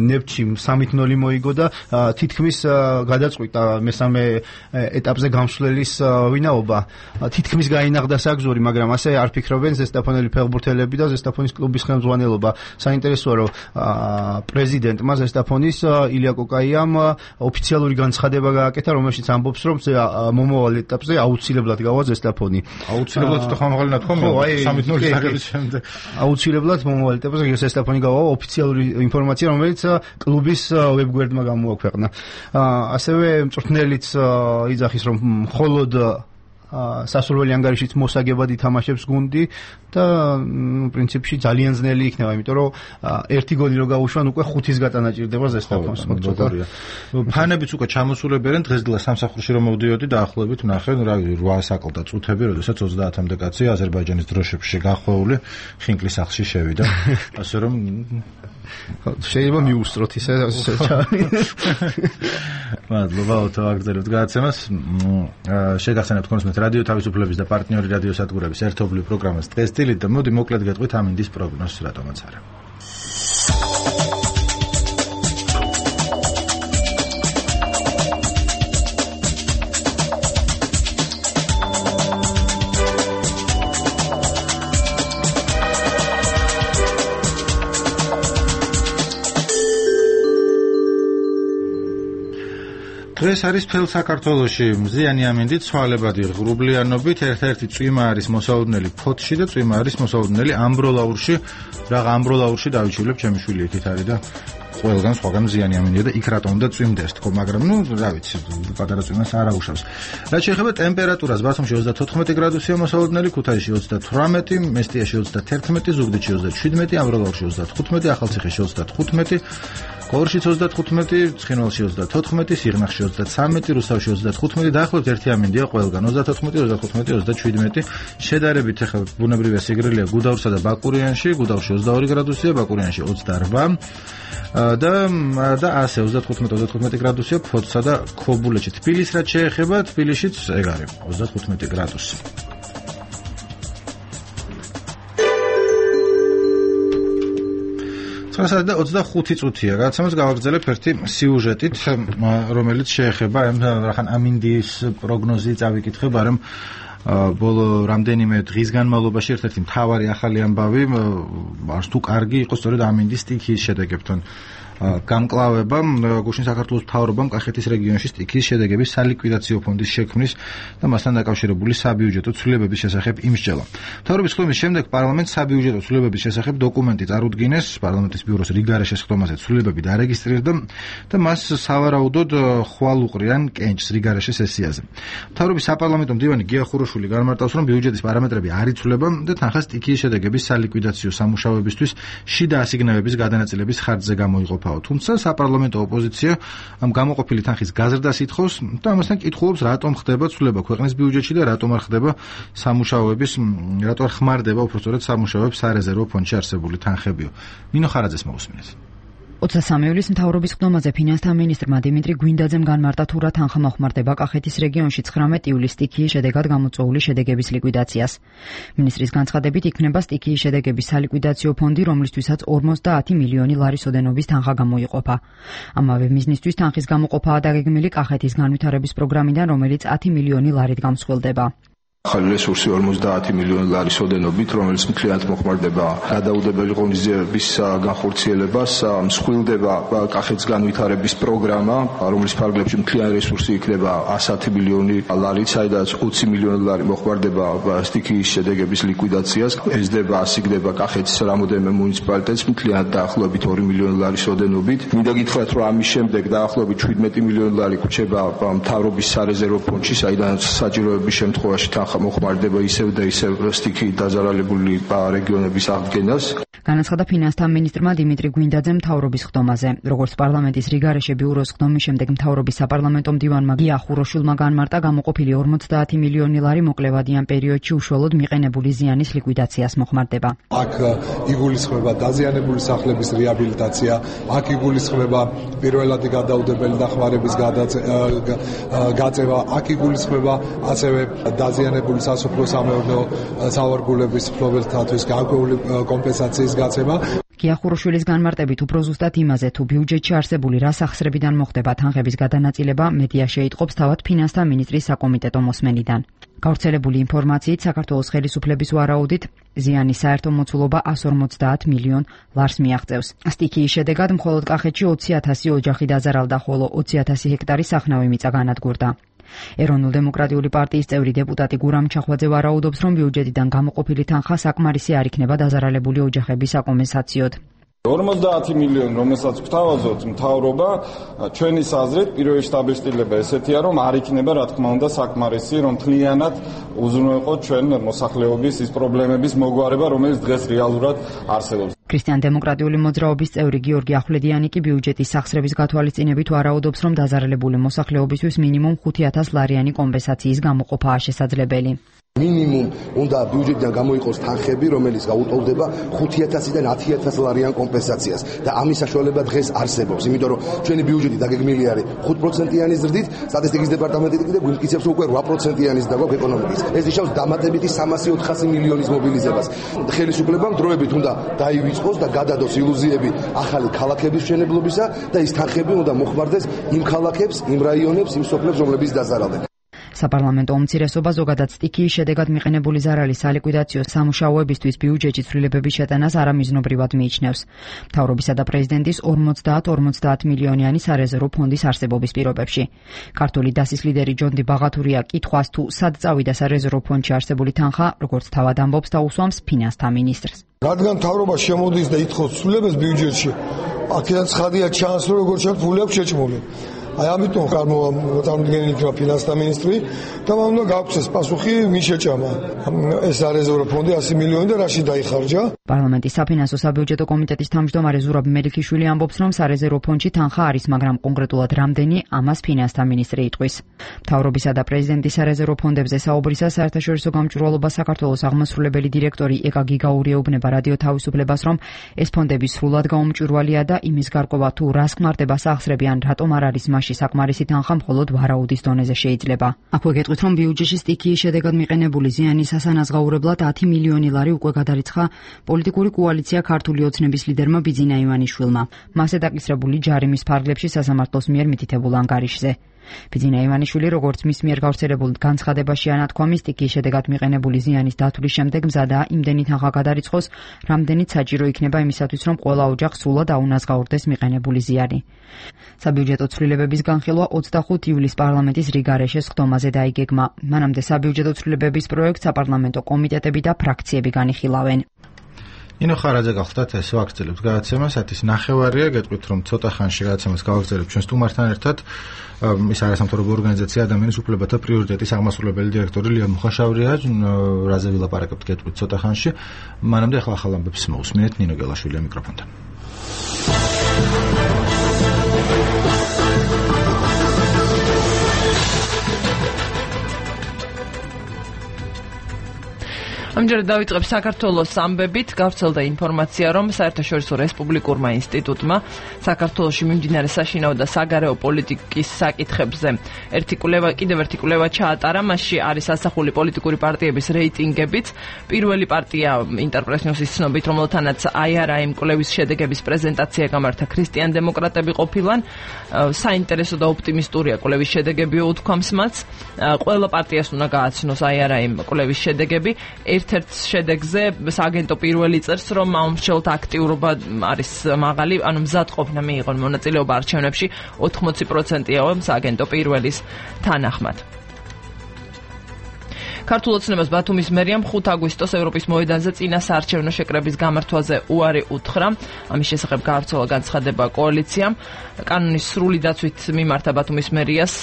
ნეფტში სამი ნული მოიგო და თითქმის გადაწყვიტა მესამე ეტაპზე გამსვლელის ვინაობა. თითქმის გაინაღდა საგზური, მაგრამ ასე არ ფიქრობენ ზესტაფონელი ფეხბურთელები და ზესტაფონის კლუბის ხელმძღვანელი. საინტერესოა, რომ პრეზიდენტმა ზესტაფონის ილია კოკაიამ ოფიციალური განცხადება გააკეთა, რომელშიც ამბობს, რომ მომავალ ეტაპზე აუცილებლად გავა ზესტაფონი. აუცილებლად ცოტა ხამაღალი ნათქვამია, სამი ნული საგების შემდეგ. აუცილებლად მომავალ ეტაპზე ზესტაფონი გავა, ოფიციალური ინფორმაცია, რომელიც კლუბის ვებგვერდმა გამოაქვეყნა. ასევე მწვრთნელიც იძახის, რომ მხოლოდ სასურველი ანგარიშით მოსაგებად ითამაშებს გუნდი და პრინციპში ძალიან ძნელი იქნება, იმიტომ რომ ერთი გოლი რო გაუშვან, უკვე ხუთის გატანა ჭირდება ზესტაფონს. ფანებიც უკვე ჩამოსულებენ, დღესდღე სამსახურში რომ მოვდიოდი დაახლოებით ვნახე, რა ვიცი, რვა საკლდა წუთები, როდესაც ოცდაათამდე კაცი აზერბაიჯანის დროშებში გახვეული ხინკლის სახლში შევიდა. ასე რომ შეიძლება მიუსწროთ ისე მადლობა ოთო აგრძელებთ გადაცემას. შეგახსენებთ კონსმეთ რადიო თავისუფლების და პარტნიორი რადიო სადგურების ერთობლივ პროგრამას დღეს დილით და მოდი მოკლედ გეტყვით ამინდის პროგნოზს, რატომაც არა. დღეს არის მთელ საქართველოში მზიანი ამინდით, ცვალებადი ღრუბლიანობით, ერთ-ერთი წვიმა არის მოსაუდნელი ფოთში და წვიმა არის მოსაუდნელი ამბროლაურში. რა ამბროლაურში დავიჩულებ, ჩემი შვილი იქით არის და ყველგან სხვაგან ზიანი ამინდია და იქ რატომ უნდა წვიმდეს თქო, მაგრამ ნუ რა ვიცი, პატარა წვიმას არ აუშავს. რაც შეეხება ტემპერატურას, ბათუმში ოცდათოთხმეტი გრადუსია მოსალოდნელი, ქუთაისში ოცდათვრამეტი, მესტიაში ოცდათერთმეტი, ზუგდიდში ოცდაშვიდმეტი, ამროგალში ოცდათხუთმეტი, ახალციხეში ოცდათხუთმეტი, გორში ოცდათხუთმეტი, ცხინვალში ოცდათოთხმეტი, სიღნაღში ოცდაცამეტი, რუსთავში ოცდათხუთმეტი, დაახლოებით ერთი ამინდია ყველგან ოცდათოთხმეტი, ოცდათხუთმეტი, ოცდაშვიდმეტი. შედარებით ახლა ბუნებრივია სიგრილია გუდაურსა და ბაკურიანში, გუდაურში ოცდაორი გრადუსია, ბაკურიანში ოცდაორვა და და ასე ოცდათხუთმეტი ოცდათხუთმეტი გრადუსია ფოთსა და ქობულეთში. თბილისს რაც შეეხება, თბილისშიც ეგ არის ოცდათხუთმეტი გრადუსი. ცხრა და ოცდახუთი წუთია. გადაცემას გავაგრძელებ ერთი სიუჟეტით, რომელიც შეეხება რახან ამინდის პროგნოზი წავიკითხებ, არამ ბოლო რამდენიმე დღის განმავლობაში ერთ-ერთი მთავარი ახალი ამბავი არც თუ კარგი იყო სწორედ ამინდის სტიქიის შედეგებთან გამკლავება. გუშინ საქართველოს მთავრობამ კახეთის რეგიონში სტიქიის შედეგების სალიკვიდაციო ფონდის შექმნის და მასთან დაკავშირებული საბიუჯეტო ცვლილებების შესახებ იმსჯელა. მთავრობის ხმის შემდეგ პარლამენტს საბიუჯეტო ცვლილებების შესახებ დოკუმენტი წარუდგინეს, პარლამენტის ბიუროს რიგარე შესხდომაზე ცვლილებები დარეგისტრირდა და მას სავარაუდოდ ხვალ უყრიან კენჭს რიგარეშე სესიაზე. მთავრობის საპარლამენტო მდივანი გია ხუროშვილი განმარტავს, რომ ბიუჯეტის პარამეტრები არ იცვლება და თანხა სტიქიის შედეგების სალიკვიდაციო სამუშაოებისთვის შიდა ასიგნებების გადანაწილების ხარჯზე გამოიყოფა. თუმცა საპარლამენტო ოპოზიცია ამ გამოყოფილი თანხის გაზრდას ითხოვს და ამასთან კითხულობს, რატომ ხდება ცვლილება ქვეყნის ბიუჯეტში და რატომ არ ხდება სამუშაოების, რატომ არ ხმარდება უბრალოდ სამუშაოებს სარეზერვო ფონდში არსებული თანხებიო. ნინო ხარაძეს მოусმინეთ. ოცდასამი ივლის მთავრობის ხდომაზე ფინანსთა მინისტრმა დიმიტრი გვინდაძემ განმარტა, თუ რა თანხა მოხმარდება კახეთის რეგიონში ცხრამეტი ივლის სტიქიის შედეგად გამოწვეული შედეგების ლიკვიდაციას. მინისტრის განცხადებით, იქნება სტიქიის შედეგების სალიკვიდაციო ფონდი, რომლისთვისაც ორმოცდაათი მილიონი ლარის ოდენობის თანხა გამოიყოფა. ამავე მიზნისთვის თანხის გამოყოფაა დაგეგმილი კახეთის განვითარების პროგრამიდან, რომელიც ათი მილიონი ლარით გამსხვილდება. ახალი რესურსი ორმოცდაათი მილიონი ლარის ოდენობით, რომელიც მთლიანად მოხმარდება გადაუდებელი ღონისძიებების განხორციელებას, მსხვილდება კახეთის განვითარების პროგრამა, რომლის ფარგლებში მთლიანი რესურსი იქნება ასი მილიონი ლარით, საიდანაც ოცი მილიონი ლარი მოხმარდება სტიქიის შედეგების ლიკვიდაციას, ეზდება, ასიგდება კახეთის რამოდენიმე მუნიციპალიტეტს მთლიანად დაახლოებით ორი მილიონი ლარის ოდენობით. მინდა გითხრათ, რომ ამის შემდეგ დაახლოებით შვიდმეტი მილიონი ლარი გვჭება მთავრობის სარეზერვო ფონდში, საიდანაც საჭიროების შემთხვევაში მოხმარდება ისევ და ისევ სტიქიით დაზარალებული რეგიონების აღდგენას. განაცხადა ფინანსთა მინისტრმა დიმიტრი გვინდაძემ მთავრობის ხდომაზე. როგორც პარლამენტის რიგარეშე ბიუროს ხდომის შემდეგ მთავრობის საპარლამენტო მდივანმა გია ხუროშვილმა განმარტა, გამოყოფილი ორმოცდაათი მილიონი ლარი მოკლევადიან პერიოდში უშუალოდ მიყენებული ზიანის ლიკვიდაციას მოხმარდება. აქ იგულისხმება დაზიანებული სახლების რეაბილიტაცია, აქ იგულისხმება პირველადი გადაუდებელი დახმარების გაწევა, აქ იგულისხმება ასევე დაზიანებული სასოფლო-სამეურნეო სავარგულების მფლობელთათვის გარკვეული კომპენსაციის გაცემა. გია ხუროშვილის განმარტებით, უფრო ზუსტად იმაზე, თუ ბიუჯეტში არსებული რა სახსრებიდან მოხდება თანხების გადანაწილება, მედია შეიტყობს თავად ფინანსთა მინისტრის საკომიტეტო მოსმენიდან. გავრცელებული ინფორმაციით, საქართველოს ხელისუფლების ვარაუდით, ზიანის საერთო მოცულობა ასი ორმოცდაათ მილიონ ლარს მიაღწევს. სტიქიის შედეგად მხოლოდ კახეთში ოცი ათასი ოჯახი დაზარალდა, ხოლო ოცი ათასი ჰექტარი სახნავი მიწა განადგურდა. ეროვნულ-დემოკრატიული პარტიის წევრი დეპუტატი გურამ ჩახვაძე ვარაუდობს, რომ ბიუჯეტიდან გამოყოფილი თანხა საკმარისი არ იქნება დაზარალებული ოჯახების საკომპენსაციოდ. ორმოცდაათი მილიონი, რომელსაც გვთავაზობთ მთავრობა, ჩვენი აზრით პირველი შტაბილიზება ესეთია, რომ არ იქნება, რა თქმა უნდა, საკმარისი, რომ მთლიანად უზრუნველყოთ ჩვენ მოსახლეობის ის პრობლემების მოგვარება, რომელიც დღეს რეალურად არსებობს. ქრისტიან-დემოკრატიული მოძრაობის წევრი გიორგი ახვლედიანი კი ბიუჯეტის სახსრების გათვალისწინებით ვარაუდობს, რომ დაზარალებული მოსახლეობისთვის მინიმუმ ხუთი ათას ლარიანი კომპენსაციის გამოყოფაა შესაძლებელი. მინიმუმ უნდა ბიუჯეტიდან გამოიყოს თანხები, რომელიც გაუტოლდება ხუთი ათასიდან ათი ათას ლარიან კომპენსაციას და ამის საშუალება დღეს არსებობს, იმიტომ რომ ჩვენი ბიუჯეტი დაგეგმილი არის ხუთ პროცენტიანი ზრდით, სტატისტიკის დეპარტამენტი კიდე გვიმტკიცებს უკვე რვა პროცენტიანის დაგვაქვს ეკონომიკის. ეს ნიშნავს დამატებითი სამასი ოთხასი მილიონის მობილიზებას. ხელისუფლებამ დროებით უნდა დაივიწყოს და გადადოს ილუზიები ახალი ქალაქების მშენებლობისა და ის თანხები უნდა მოხმარდეს იმ ქალაქებს, იმ რაიონებს, იმ სოფლებს, რომლებიც დაზარალდნენ. საპარლამენტო უმცირესობა ზოგადად სტიქიის შედეგად მიყენებული ზარალის სალიკვიდაციო სამუშაოებისთვის ბიუჯეტში ცვლილებების შეტანას არამიზნობრივად მიიჩნევს. მთავრობისა და პრეზიდენტის ორმოცდაათ ორმოცდაათ მილიონიანი სარეზერვო ფონდის არსებობის პირობებში. ქართული დასის ლიდერი ჯონდი ბაღათურია კითხვას, თუ სად წავიდა სარეზერვო ფონდში არსებული თანხა, როგორც თავად ამბობს, დაუსვამს ფინანსთა მინისტრს. რადგან მთავრობა შემოდის და ითხოვს ცვლილებას ბიუჯეტში, აქედან ცხადია ჩანს, რომ როგორც ჩანს, ფული აქვს შეჭმული. აი ამიტომ წარმოადგენენ იქნება ფინანსთა მინისტრი და მან უნდა გაგვცეს პასუხი მის შეჭამა. ეს არეზერვო ფონდი ასი მილიონი და რაში დაიხარჯა? პარლამენტის საფინანსო საბიუჯეტო კომიტეტის თავმჯდომარე ზურაბ მელიქიშვილი ამბობს, რომ სარეზერვო ფონდში თანხა არის, მაგრამ კონკრეტულად რამდენი, ამას ფინანსთა მინისტრი იტყვის. მთავრობისა და პრეზიდენტის სარეზერვო ფონდებზე საუბრისას საერთაშორისო გამჭვირვალობა საქართველოს აღმასრულებელი დირექტორი ეკა გიგაური ეუბნება რადიო თავისუფლებას, რომ ეს ფონდები სრულად გაუმჭვირვალეა და იმის გარკვევა თუ რას ხმარდება სახსრებიან, რატომ არ არის მასში საკმარისი თანხა მხოლოდ ვარაუდის დონეზე შეიძლება. აქვე გეტყვით, რომ ბიუჯეტში სტიქიის შედეგად მიყენებული ზიანის ასანაზღაურებლად ათი მილიონი ლარი უკვე გადარიცხა პოლიტიკური კოალიცია ქართული ოცნების ლიდერმა ბიძინა ივანიშვილმა. მასზე დაკისრებული ჯარიმის ფარგლებში სასამართლოს მიერ მითითებულ ანგარიშზე. ბიძინა ივანიშვილი, როგორც მის მიერ გავრცელებულ განცხადებაში ანათქვამი, სტიქიის შედეგად მიყენებული ზიანის დათვლის შემდეგ მზადაა იმდენი თანხა გადარიცხოს, რამდენიც საჭირო იქნება იმისათვის, რომ ყველა ოჯახს სრულად აუნაზღაურდეს მიყენებული ზიანი. საბიუჯეტო ცვლილებების განხილვა ოცდახუთი ივლისს პარლამენტის რიგარეშეს ხდომაზე დაიგეგმა. მანამდე საბიუჯეტო ცვლილებების პროექტს საპარლამენტო კომიტეტები და ფრაქციები განიხილავენ. ინო ხარაძე გახლდათ ეს ვაგრძელებთ გადაცემას, ათის ნახევარია, გეტყვით რომ ცოტა ხანში გადაცემას გავაგრძელებთ ჩვენ სტუმართან ერთად. ის არასამთავრობო ორგანიზაცია ადამიანის უფლებათა პრიორიტეტის აღმასრულებელი დირექტორი ლია მუხაშავრია, რაზე ვილაპარაკებთ გეტყვით ცოტა ხანში. მანამდე ახლა ახალ ამბებს მოусმინეთ ნინო გელაშვილია მიკროფონთან. ამჯერად დავიწყებ საქართველოს ამბებით. გავრცელდა ინფორმაცია, რომ საერთაშორისო რესპუბლიკურმა ინსტიტუტმა საქართველოში მიმდინარე საშინაო და საგარეო პოლიტიკის საკითხებზე ერთი კვლევა, კიდევ ერთი კვლევა ჩაატარა. მასში არის ასახული პოლიტიკური პარტიების რეიტინგებიც. პირველი პარტია ინტერპრეს ნიუსის ცნობით, რომელთანაც აი არ აი კვლევის შედეგების პრეზენტაცია გამართა ქრისტიან დემოკრატები ყოფილან. საინტერესო და ოპტიმისტურია კვლევის შედეგები, უთქვამს მას. ყველა პარტიას უნდა გააცნოს აი არ აი კვლევის შედეგები. ერთ-ერთ შედეგზე სააგენტო პირველი წერს, რომ მომრჩევლთა აქტიურობა არის მაღალი, ანუ მზადყოფნა მიიღონ მონაწილეობა არჩევნებში ოთხმოცი პროცენტია სააგენტო პირველის თანახმად. ქართულ ოცნებას ბათუმის მერიამ ხუთი აგვისტოს ევროპის მოედანზე წინა საარჩევნო შეკრების გამართვაზე უარი უთხრა. ამის შესახებ გავრცელა განცხადება კოალიციამ. კანონის სრული დაცვით მიმართა ბათუმის მერიას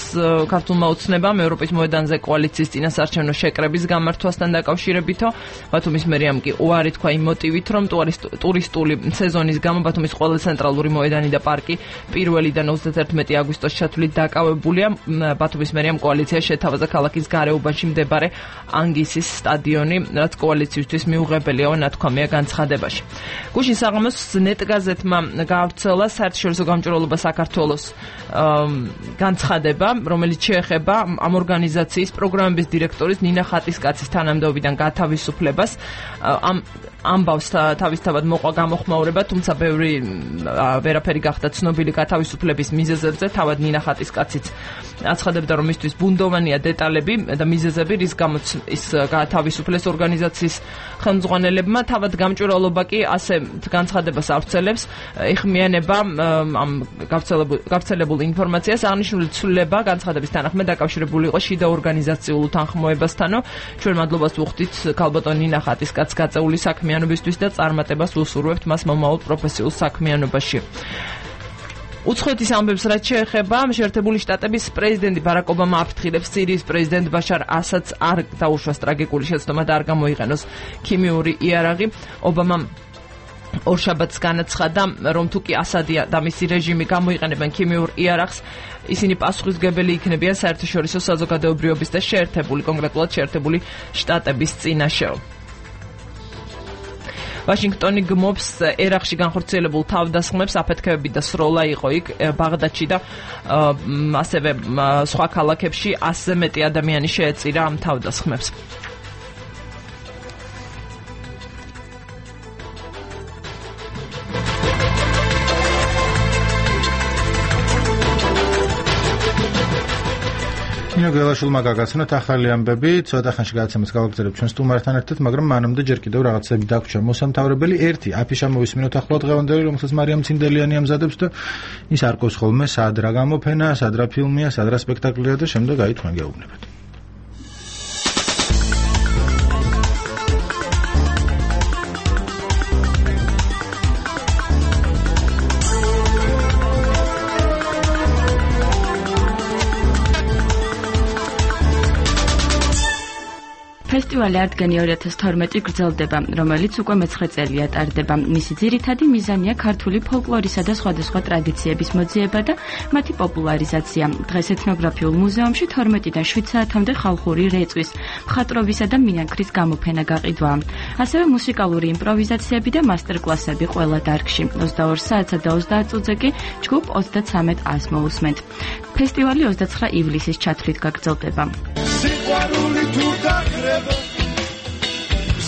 ქართულმა ოცნებამ ევროპის მოედანზე კოალიციის წინა საარჩევნო შეკრების გამართვასთან დაკავშირებითო. ბათუმის მერიამ კი უარი თქვა იმ მოტივით, რომ ტურისტული სეზონის გამო ბათუმის ყველა ცენტრალური მოედანი და პარკი პირველიდან ოცდაერთმეტი აგვისტოს ჩათვლით დაკავებულია. ბათუმის მერიამ კოალიცია შეთავაზა ქალაქის გარეუბანში მდებარე ანგისის სტადიონი, რაც კოალიციისთვის მიუღებელია, ნათქვამია განცხადებაში. გუშინ საღამოს ნეტგაზეთმა გავრცელა საერთაშორისო გამჭვირვალობა საქართველოს განცხადება, რომელიც შეეხება ამ ორგანიზაციის პროგრამების დირექტორის ნინა ხატისკაცის თანამდებობიდან გათავისუფლებას. ამ ამბავს თავისთავად მოყვა გამოხმაურება, თუმცა ბევრი ვერაფერი გახდა ცნობილი გათავისუფლების მიზეზებზე. თავად ნინა ხატისკაციც აცხადებდა, რომ მისთვის ბუნდოვანია დეტალები და მიზეზები, რის გამოც ის გათავისუფლეს ორგანიზაციის ხელმძღვანელებმა. თავად გამჭვირვალობა კი ასე განცხადებას ავრცელებს, ეხმიანება ამ გავრცელებულ ინფორმაციას. აღნიშნული ცვლილება განცხადების თანახმად დაკავშირებული იყო შიდა ორგანიზაციულ უთანხმოებასთანო. ჩვენ მადლობას ვუხდით ქალბატონ ნინა ხატისკაცს გაწეული საქმიანობისთვის და წარმატებას უსურვებთ მას მომავალ პროფესიულ საქმიანობაში. უცხოეთის ამბებს რაც შეეხება, შეერთებული შტატების პრეზიდენტი ბარაკ ობამა აფრთხილებს, სირიის პრეზიდენტ ბაშარ ასადს არ დაუშვას ტრაგიკული შეცდომა და არ გამოიყენოს ქიმიური იარაღი. ობამამ ორშაბათს განაცხადა, რომ თუ კი ასადი და მისი რეჟიმი გამოიყენებენ ქიმიურ იარაღს, ისინი პასუხისმგებელი იქნებიან საერთაშორისო საზოგადოებრიობის და შეერთებული, კონკრეტულად შეერთებული შტატების წინაშე. ვაშინგტონი გმობს ერაყში განხორციელებულ თავდასხმებს, აფეთქებები და სროლა იყო იქ ბაღდადში და ასევე სხვა ქალაქებში ასზე მეტი ადამიანი შეეწირა ამ თავდასხმებს. ნინო გელაშვილმა გაგაცნოთ ახალი ამბები, ცოტა ხანში გადაცემას გავაგრძელებთ ჩვენ სტუმართან ერთად, მაგრამ მანამდე ჯერ კიდევ რაღაცები დაგვრჩა მოსამთავრებელი. ერთი აფიშა მოვისმინოთ ახლა დღევანდელი, რომელსაც მარიამ ცინდელიანი ამზადებს და ის არ ყავს ხოლმე სად რა გამოფენა, სად რა ფილმია, სად რა სპექტაკლია და შემდეგ აი თქვენ გეუბნებათ. ფესტივალი არტგენი ორი ათას თორმეტი გრძელდება, რომელიც უკვე მეცხრე წელია ტარდება. მისი ძირითადი მიზანია ქართული ფოლკლორისა და სხვადასხვა ტრადიციების მოძიება და მათი პოპულარიზაცია. დღეს ეთნოგრაფიულ მუზეუმში თორმეტიდან შვიდ საათამდე ხალხური რეწვის, მხატვრობისა და მინანქრის გამოფენა გაყიდვაა. ასევე მუსიკალური იმპროვიზაციები და მასტერკლასები ყველა დარგში. ოცდაორ საათსა და ოცდაათ წუთზე კი ჯგუფ ოცდაცამეტ ას მოусმენთ. ფესტივალი ოცდაცხრა ივლისის ჩათვლით გაგრძელდება. სიყვარული თუ დაგრება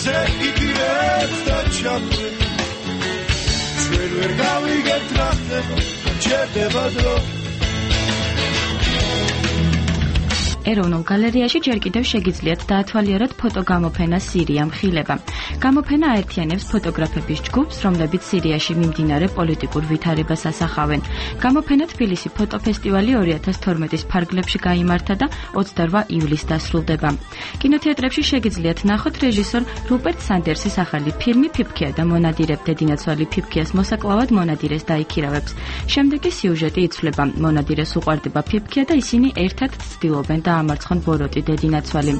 ზე იდეებს და ჩაქვე ჩვენ ვერ გავიგებთ რა ხდება ჩერდება დრო ეროვნულ გალერეაში ჯერ კიდევ შეგიძლიათ დაათვალიეროთ ფოტოგამოფენა სირია მხილება. გამოფენა აერთიანებს ფოტოგრაფების ჯგუფს, რომლებიც სირიაში მიმდინარე პოლიტიკურ ვითარებას ასახავენ. გამოფენა თბილისი ფოტოფესტივალი ორი ათას თორმეტის ფარგლებში გაიმართა და ოცდარვა ივლისს დასრულდება. კინოთეატრებში შეგიძლიათ ნახოთ რეჟისორ რუპერტ სანდერსის ახალი ფილმი ფიფქია და მონადირებ დედინაცვალი ფიფქიას მოსაკლავად მონადირეს დაიქირავებს. შემდეგი სიუჟეტი იცვლება. მონადირეს უყვარდება ფიფქია და ისინი ერთად ცდილობენ დაამარცხონ ბოროტი დედინაცვალი.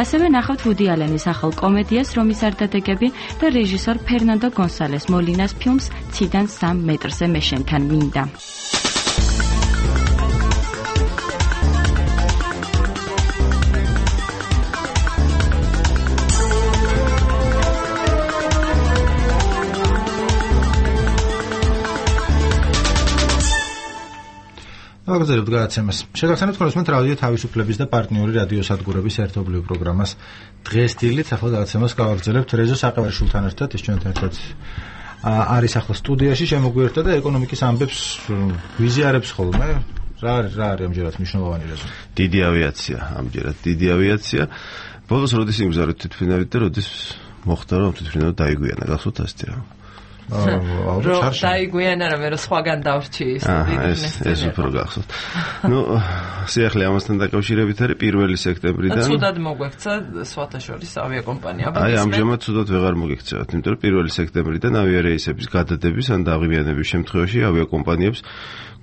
ასევე ნახავთ ვუდი ალენის ახალ კომედიას რომის არდადეგები და რეჟისორ ფერნანდო გონსალეს მოლინას ფილმს ციდან სამ მეტრზე მე შენთან მინდა. აგზელებთ გადაცემას. შეგახსენებთ ხოლმე რადიო თავისუფლების და პარტნიორი რადიოსადგურების ერთობლივ პროგრამას დღეს დილით ახლა გადაცემას გავაგრძელებთ რეზო საყევარშვილთან ერთად, ის ჩვენთან ერთად არის ახლა სტუდიაში, შემოგვიერთდა და ეკონომიკის ამბებს ვიზიარებს ხოლმე. რა არის რა არის ამჯერად მნიშვნელოვანი რეზო? დიდი ავიაცია, ამჯერად დიდი ავიაცია. ბოლოს როდის იმგზავრეთ თვითმფრინავით და როდის მოხდა რომ თვითმფრინავი დაიგვიანა, გახსოვთ ასეთი რა? რომ დაიგვიანა რა მე რა სხვაგან დავრჩი ის ეს ეს უფრო გახსოვთ. ნუ სიახლე ამასთან დაკავშირებით არის პირველი სექტემბრიდან. ცუდად მოგვექცა სხვათა შორის ავიაკომპანია. აი ამჟამად ცუდად ვეღარ მოგექცევათ, იმიტომ რომ პირველი სექტემბრიდან ავიარეისების გადადების ან დაღვიანების შემთხვევაში ავიაკომპანიებს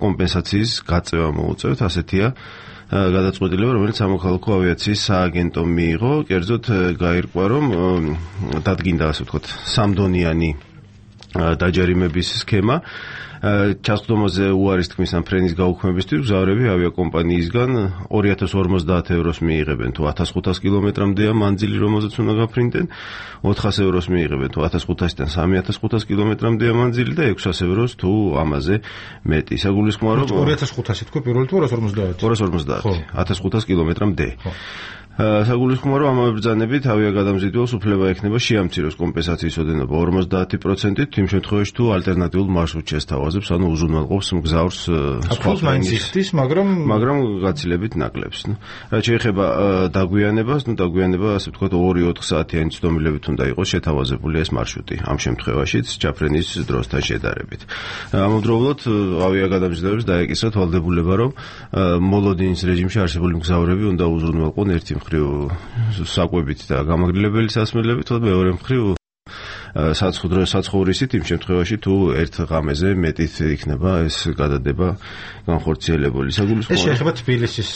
კომპენსაციის გაწევა მოუწევთ, ასეთია გადაწყვეტილება, რომელიც სამოქალაქო ავიაციის სააგენტომ მიიღო, კერძოდ გაირკვა, რომ დადგინდა ასე ვთქვათ, სამდონიანი დაჯერიმების სქემა ჩასწდომაზე უარის თქმის ან ფრენის გაუქმებისთვის მგზავრები ავიაკომპანიისგან ორი ათას ორმოცდაათ ევროს მიიღებენ თუ ათას ხუთას კილომეტრამდეა მანძილი, რომელზეც უნდა გაფრინდნენ, ოთხას ევროს მიიღებენ თუ ათას ხუთასიდან სამი ათას ხუთას კილომეტრამდეა მანძილი და ექვსას ევროს თუ ამაზე მეტი. საგულისხმოა რომ ორი ათას ხუთასი თქვი პირველი თუ ორას ორმოცდაათი? ორას ორმოცდაათი, ათას ხუთას კილომეტრამდე. საგულისხმოა რომ ამ ბრძანებით ავიაგადამზიდველს უფლება ექნება შეამციროს კომპენსაციის ოდენობა ორმოცდაათი პროცენტით იმ შემთხვევაში თუ ალტერნატიულ მარშრუტს შესთავაზებს, ანუ უზრუნველყოფს მგზავრს სხვა ფაინის, მაგრამ მაგრამ გაცილებით ნაკლებს. რაც შეეხება დაგვიანებას, ნუ დაგვიანება ასე ვთქვათ ორი ოთხ საათიანი ცდომილებით უნდა იყოს შეთავაზებული ეს მარშრუტი ამ შემთხვევაშიც ჩაფრენის დროსთან შედარებით. ამავდროულად ავიაგადამზიდველებს დაეკისრათ ვალდებულება, რომ მოლოდინის რეჟიმში არსებული მგზავრები უნდა უზრუნველყონ ერთი საკვებით და გამაგრილებელი სასმელებით, თორე მეორე მხრივ საცხუდრო საცხოვრისით იმ შემთხვევაში თუ ერთ ღამეზე მეტით იქნება ეს გადადება განხორციელებული. საგულისხმოა ეს შეეხება თბილისის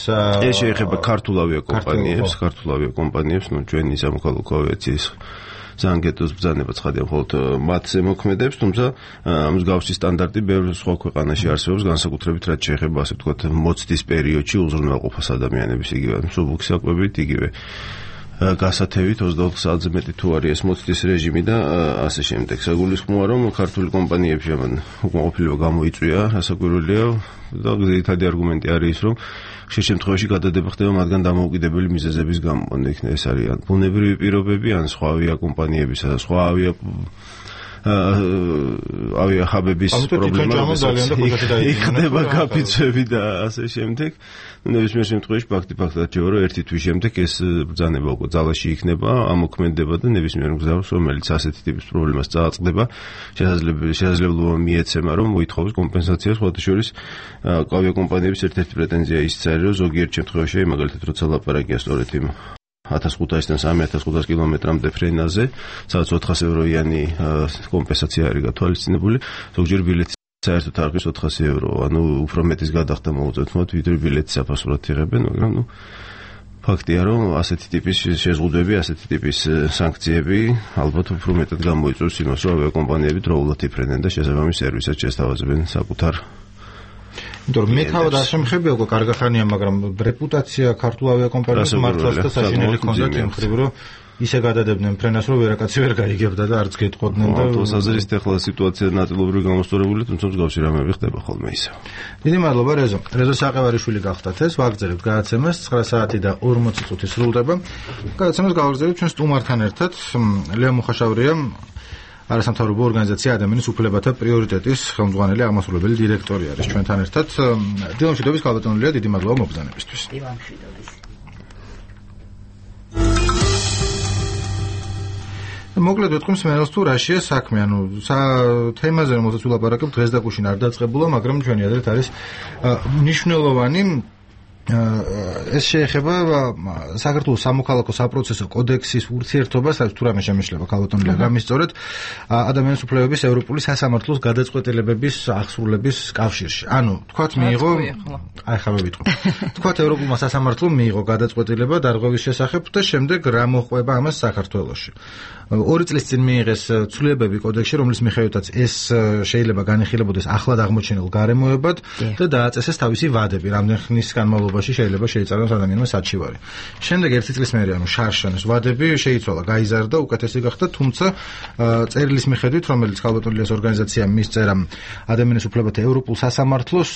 ეს შეეხება ქართულ ავიაკომპანიებს, ქართულ ავიაკომპანიებს, ნუ ჩვენი სამოქალაქო ავიაციის ზანგეტოს ბრძანება ცხადია მხოლოდ მათზე მოქმედებს, თუმცა მსგავსი სტანდარტი ბევრ სხვა ქვეყანაში არსებობს, განსაკუთრებით რაც შეეხება ასე ვთქვათ მოცდის პერიოდში უზრუნველყოფას ადამიანების, იგივე მსუბუქი საკვებით, იგივე გასათევით ოცდაოთხ საათზე მეტი თუ არის ეს მოცდის რეჟიმი და ასე შემდეგ. საგულისხმოა რომ ქართული კომპანიებში ამან უკმაყოფილება გამოიწვია, რასაკვირველია და ძირითადი არგუმენტი არის ის, რომ ხშირ შემთხვევაში გადადება ხდება მათგან დამოუკიდებელი მიზეზების გამო. ეს არის ან ბუნებრივი პირობები, ან სხვა ავიაკომპანიებისა და სხვა ავია ავიახაბების პრობლემა იქნება გაფიცვები და ასე შემდეგ. ნებისმიერ შემთხვევაში ფაქტი ფაქტად ჯევა, რომ ერთი თვის შემდეგ ეს ბრძანება უკვე ძალაში იქნება, ამოქმედება და ნებისმიერ მგზავრს, რომელიც ასეთი ტიპის პრობლემას წააწყდება, შესაძლებლობა მიეცემა, რომ მოითხოვოს კომპენსაციას. სხვათა შორის ავიაკომპანიების ერთ-ერთი პრეტენზია ისიც არის, რომ ზოგიერთ შემთხვევაში, მაგალითად, როცა ლაპარაკია სწორედ იმ ათას ხუთასიდან სამი ათას ხუთას კილომეტრამდე ფრენაზე, სადაც ოთხას ევროიანი კომპენსაცია არის გათვალისწინებული, ზოგჯერ ბილეთის საერთოდ არხის ოთხასი ევრო, ანუ უფრო მეტის გადახდა მოუწევთ მათ, ვიდრე ბილეთის საფასურად იღებენ, მაგრამ ნუ ფაქტია, რომ ასეთი ტიპის შეზღუდვები, ასეთი ტიპის სანქციები ალბათ უფრო მეტად გამოიწვევს იმას, რომ ავიაკომპანიები დროულად იფრენენ და შესაბამის სერვისად შესთავაზებენ საკუთარ. იმიტომ რომ მე თავად არ შემხებია უკვე კარგი ხანია, მაგრამ რეპუტაცია ქართულ ავიაკომპანიებს მართლაც და საშინელი ჰქონდათ იმ ხრივ, რომ ისე გადადებდნენ ფრენას, რომ ვერაკაცი ვერ გაიგებდა და არც გეტყოდნენ და ავტოსაზრისით ახლა სიტუაცია ნაწილობრივ გამოსწორებული, თუმცა მსგავსი რამეები ხდება ხოლმე ისე. დიდი მადლობა რეზო. რეზო საყევარიშვილი გახდათ ეს, ვაგრძელებთ გადაცემას ცხრა საათი და ორმოცი წუთი სრულდება. გადაცემას გავაგრძელებთ ჩვენ სტუმართან ერთად. ლეო მუხაშავრია, არასამთავრობო ორგანიზაცია ადამიანის უფლებათა პრიორიტეტის ხელმძღვანელი აღმასრულებელი დირექტორი არის ჩვენთან ერთად. დილამშვიდობის გალბატონულია, დიდი მადლობა მობრძანებისთვის. დილამშვიდობის. მოკლედ ვეთქვი მსმენელს თუ რაშია საქმე, ანუ თემაზე რომელსაც ვილაპარაკებთ დღეს და გუშინ არ დაწყებულა, მაგრამ ჩვენი აზრით არის მნიშვნელოვანი. ეს შეეხება საქართველოს სამოქალაქო საპროცესო კოდექსის ურთიერთობას, რაც თუ რამე შემეშლება ქალბატონია გამისწორეთ ადამიანის უფლებების ევროპული სასამართლოს გადაწყვეტილებების აღსრულების კავშირში. ანუ თქვათ მიიღო, აი ხა მე ვიტყვი. თქვათ ევროპულმა სასამართლომ მიიღო გადაწყვეტილება დარღვევის შესახებ და შემდეგ რა მოყვება ამას საქართველოში. ორი წლის წინ მიიღეს ცვლილებები კოდექსში, რომლის მიხედვითაც ეს შეიძლება განიხილებოდეს ახლად აღმოჩენილ გარემოებად და დააწესეს თავისი ვადები, რამდენ ხნის განმავლობაში შეიძლება შეიწაროს ადამიანმა საჩივარი. შემდეგ ერთი წლის მერე, ანუ შარშანის ვადები შეიცვალა, გაიზარდა, უკეთესი გახდა, თუმცა წერილის მიხედვით, რომელიც ქალბატონიას ორგანიზაციამ მისწერა ადამიანის უფლებათა ევროპულ სასამართლოს,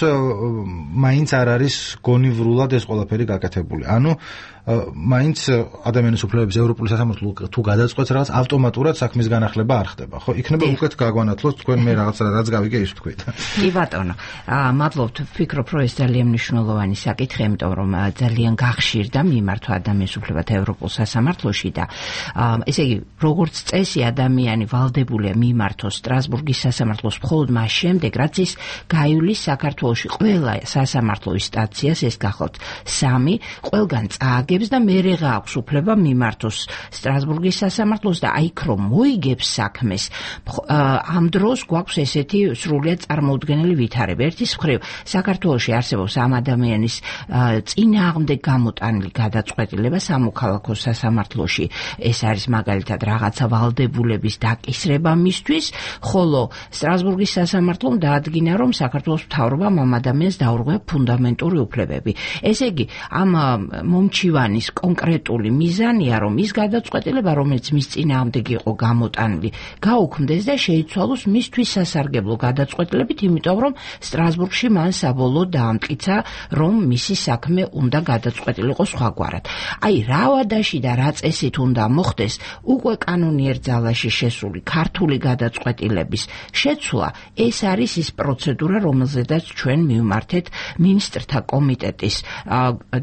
მაინც არ არის გონივრულად ეს ყველაფერი გაკეთებული. ანუ მაინც ადამიანის უფლებების ევროპული სასამართლო თუ გადაწყვეტს რაღაც ავტომატურად საქმის განახლება არ ხდება. ხო, იქნება უკეთ გაგვანათლოს თქვენ მე რაღაც რაც გავიგე ის თქვით. კი ბატონო, მადლობთ, ვფიქრობ, რომ ეს ძალიან მნიშვნელოვანი საკითხი, იმიტომ რომ ძალიან გახშირდა მიმართვა ადამიანის უფლებათა ევროპულ სასამართლოში და ესე იგი, როგორც წესი ადამიანი ვალდებულია მიმართოს სტრასბურგის სასამართლოს მხოლოდ მას შემდეგ, რაც ის გაივლის საქართველოში ყველა სასამართლო ინსტანციას, ეს გახლავთ სამი, ყველგან წააგებს და მერე გააქვს უფლება მიმართოს სტრასბურგის სასამართლოს და აი რომ მოიგებს საქმეს, ამ დროს გვაქვს ესეთი სრულიად წარმოუდგენელი ვითარება. ერთის მხრივ, საქართველოში არსებობს ამ ადამიანის წინააღმდეგ გამოტანილი გადაწყვეტილება სამოქალაქო სასამართლოში. ეს არის მაგალითად რაღაცა ვალდებულების დაკისრება მისთვის, ხოლო სტრასბურგის სასამართლომ დაადგინა, რომ საქართველოს მთავრობამ ამ ადამიანს დაურღვია ფუნდამენტური უფლებები. ესე იგი, ამ მომჩივანის კონკრეტული მიზანია, რომ ის გადაწყვეტილება, რომელიც მის წინააღმდეგ იყო გამოტანილი, გაუქმდეს და შეიცვალოს მისთვის სასარგებლო გადაწყვეტილებით, იმიტომ რომ სტრასბურგში მან საბოლოოდ დაამტკიცა, რომ მისი საქმე უნდა გადაწყვეტილიყო სხვაგვარად. აი, რა ვადაში და რა წესით უნდა მოხდეს, უკვე კანონიერ ძალაში შესული ქართული გადაწყვეტილების შეცვლა, ეს არის ის პროცედურა, რომელზედაც ჩვენ მივმართეთ მინისტრთა კომიტეტის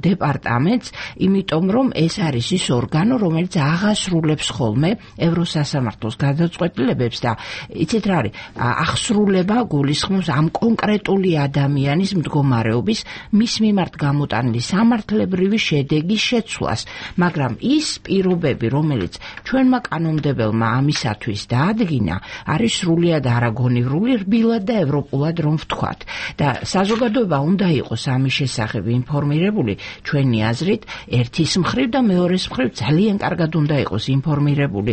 დეპარტამენტს, იმიტომ რომ ეს არის ის ორგანო, რომელიც აღასრულებს ხოლმე ევროსასამართლოს გადაწყვეტილებებს და იცით რა არის, აღსრულება გულისხმობს ამ კონკრეტული ადამიანის მდგომარეობის მის მიმართ გამოტანილი სამართლებრივი შედეგის შეცვლას, მაგრამ ის პირობები, რომელიც ჩვენმა კანონმდებელმა ამისათვის დაადგინა, არის სრულიად არაგონივრული, რბილად და ევროპულად რომ ვთქვათ. და საზოგადოება უნდა იყოს ამის შესახებ ინფორმირებული, ჩვენი აზრით, ერთის მხრივ და მეორეს მხრივ ძალიან კარგად უნდა იყოს ინფორმირებული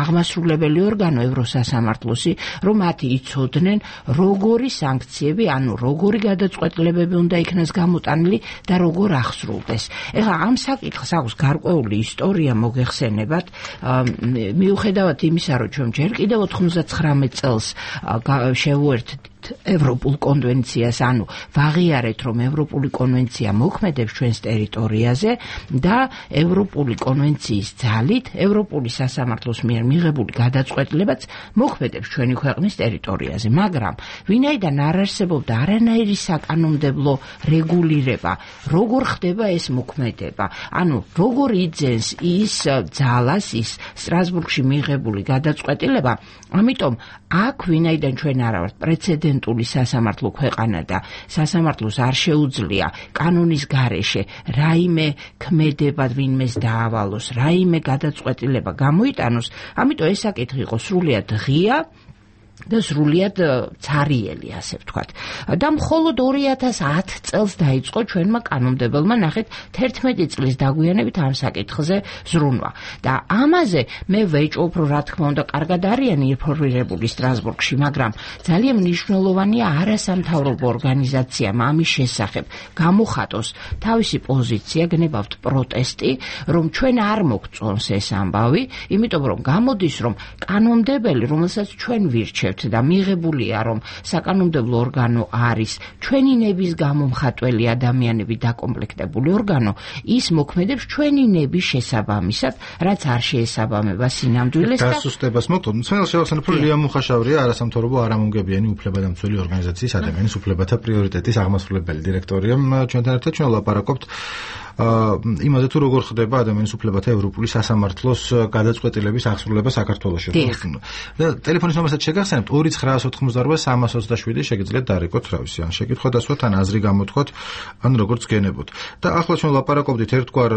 აღმასრულებელი ორგანო ევროსასამართლოსი, რომ მათი იცოდნენ როგორი სანქციები, ანუ როგორი გადაწყვეტილებები უნდა იქნას გამოტანილი და როგორ აღსრულდეს. ეხლა ამ საკითხს აქვს გარკვეული ისტორია მოგეხსენებათ, მიუხედავად იმისა, რომ ჩვენ ჯერ კიდევ ოთხმოცდათხრამეტ წელს შევუერთდით ევროპულ კონვენციას, ანუ ვაღიარეთ, რომ ევროპული კონვენცია მოქმედებს ჩვენს ტერიტორიაზე და ევროპული კონვენციის ძალით ევროპული სასამართლოს მიერ მიღებული გადაწყვეტილებაც მოქმედებს ჩვენი ქვეყნის ტერიტორიაზე, მაგრამ ვინაიდან არ არსებობდა არანაირი საკანონმდებლო რეგულირება, როგორ ხდება ეს მოქმედება, ანუ როგორ იძენს ის ძალას, ის სტრასბურგში მიღებული გადაწყვეტილება, ამიტომ აქ ვინაიდან ჩვენ არა ვართ პრეცედენტული სასამართლო ქვეყანა და სასამართლოს არ შეუძლია კანონის გარეშე რაიმე ქმედება ვინმეს დაავალოს, რაიმე გადაწყვეტილება გამოიტანოს, ამიტომ ეს საკითხი იყო სრულიად ღია და სრულიად ცარიელი, ასე ვთქვათ. და მხოლოდ ორი ათას ათი წელს დაიწყო ჩვენმა კანონმდებელმა ნახეთ თერთმეტი წლის დაგვიანებით ამ საკითხზე ზრუნვა. და ამაზე მე ვეჭვობ, რომ რა თქმა უნდა, კარგად არიან ინფორმირებული სტრასბურგში, მაგრამ ძალიან მნიშვნელოვანია არასამთავრობო ორგანიზაციამ ამის შესახებ გამოხატოს თავისი პოზიცია, გნებავთ პროტესტი, რომ ჩვენ არ მოგწონს ეს ამბავი, იმიტომ რომ გამოდის, რომ კანონმდებელი, რომელსაც ჩვენ ვირჩევთ და მიღებულია, რომ საკანონმდებლო ორგანო არის ჩვენი ნების გამომხატველი ადამიანები დაკომპლექტებული ორგანო, ის მოქმედებს ჩვენი ნების შესაბამისად, რაც არ შეესაბამება სინამდვილეს და დასუსტებას მოხდა. ძველ შევახსენებ, რომ ლია მუხაშავრია არასამთავრობო არამომგებიანი უფლებადამცველი ორგანიზაციის ადამიანის უფლებათა პრიორიტეტის აღმასრულებელი დირექტორია. ჩვენთან ერთად ჩვენ ვლაპარაკობთ იმაზე თუ როგორ ხდება ადამიანის უფლებათა ევროპული სასამართლოს გადაწყვეტილების აღსრულება საქართველოში. და ტელეფონის ნომერსაც შეგახსენებთ ორი ცხრაას ოთხმოცდაორბა სამას ოცდაშვიდი შეგიძლიათ დარეკოთ თავისი ან შეკითხვა დასვათ ან აზრი გამოთქვათ ან როგორც გენებოთ. და ახლა ჩვენ ვლაპარაკობდით ერთგვარ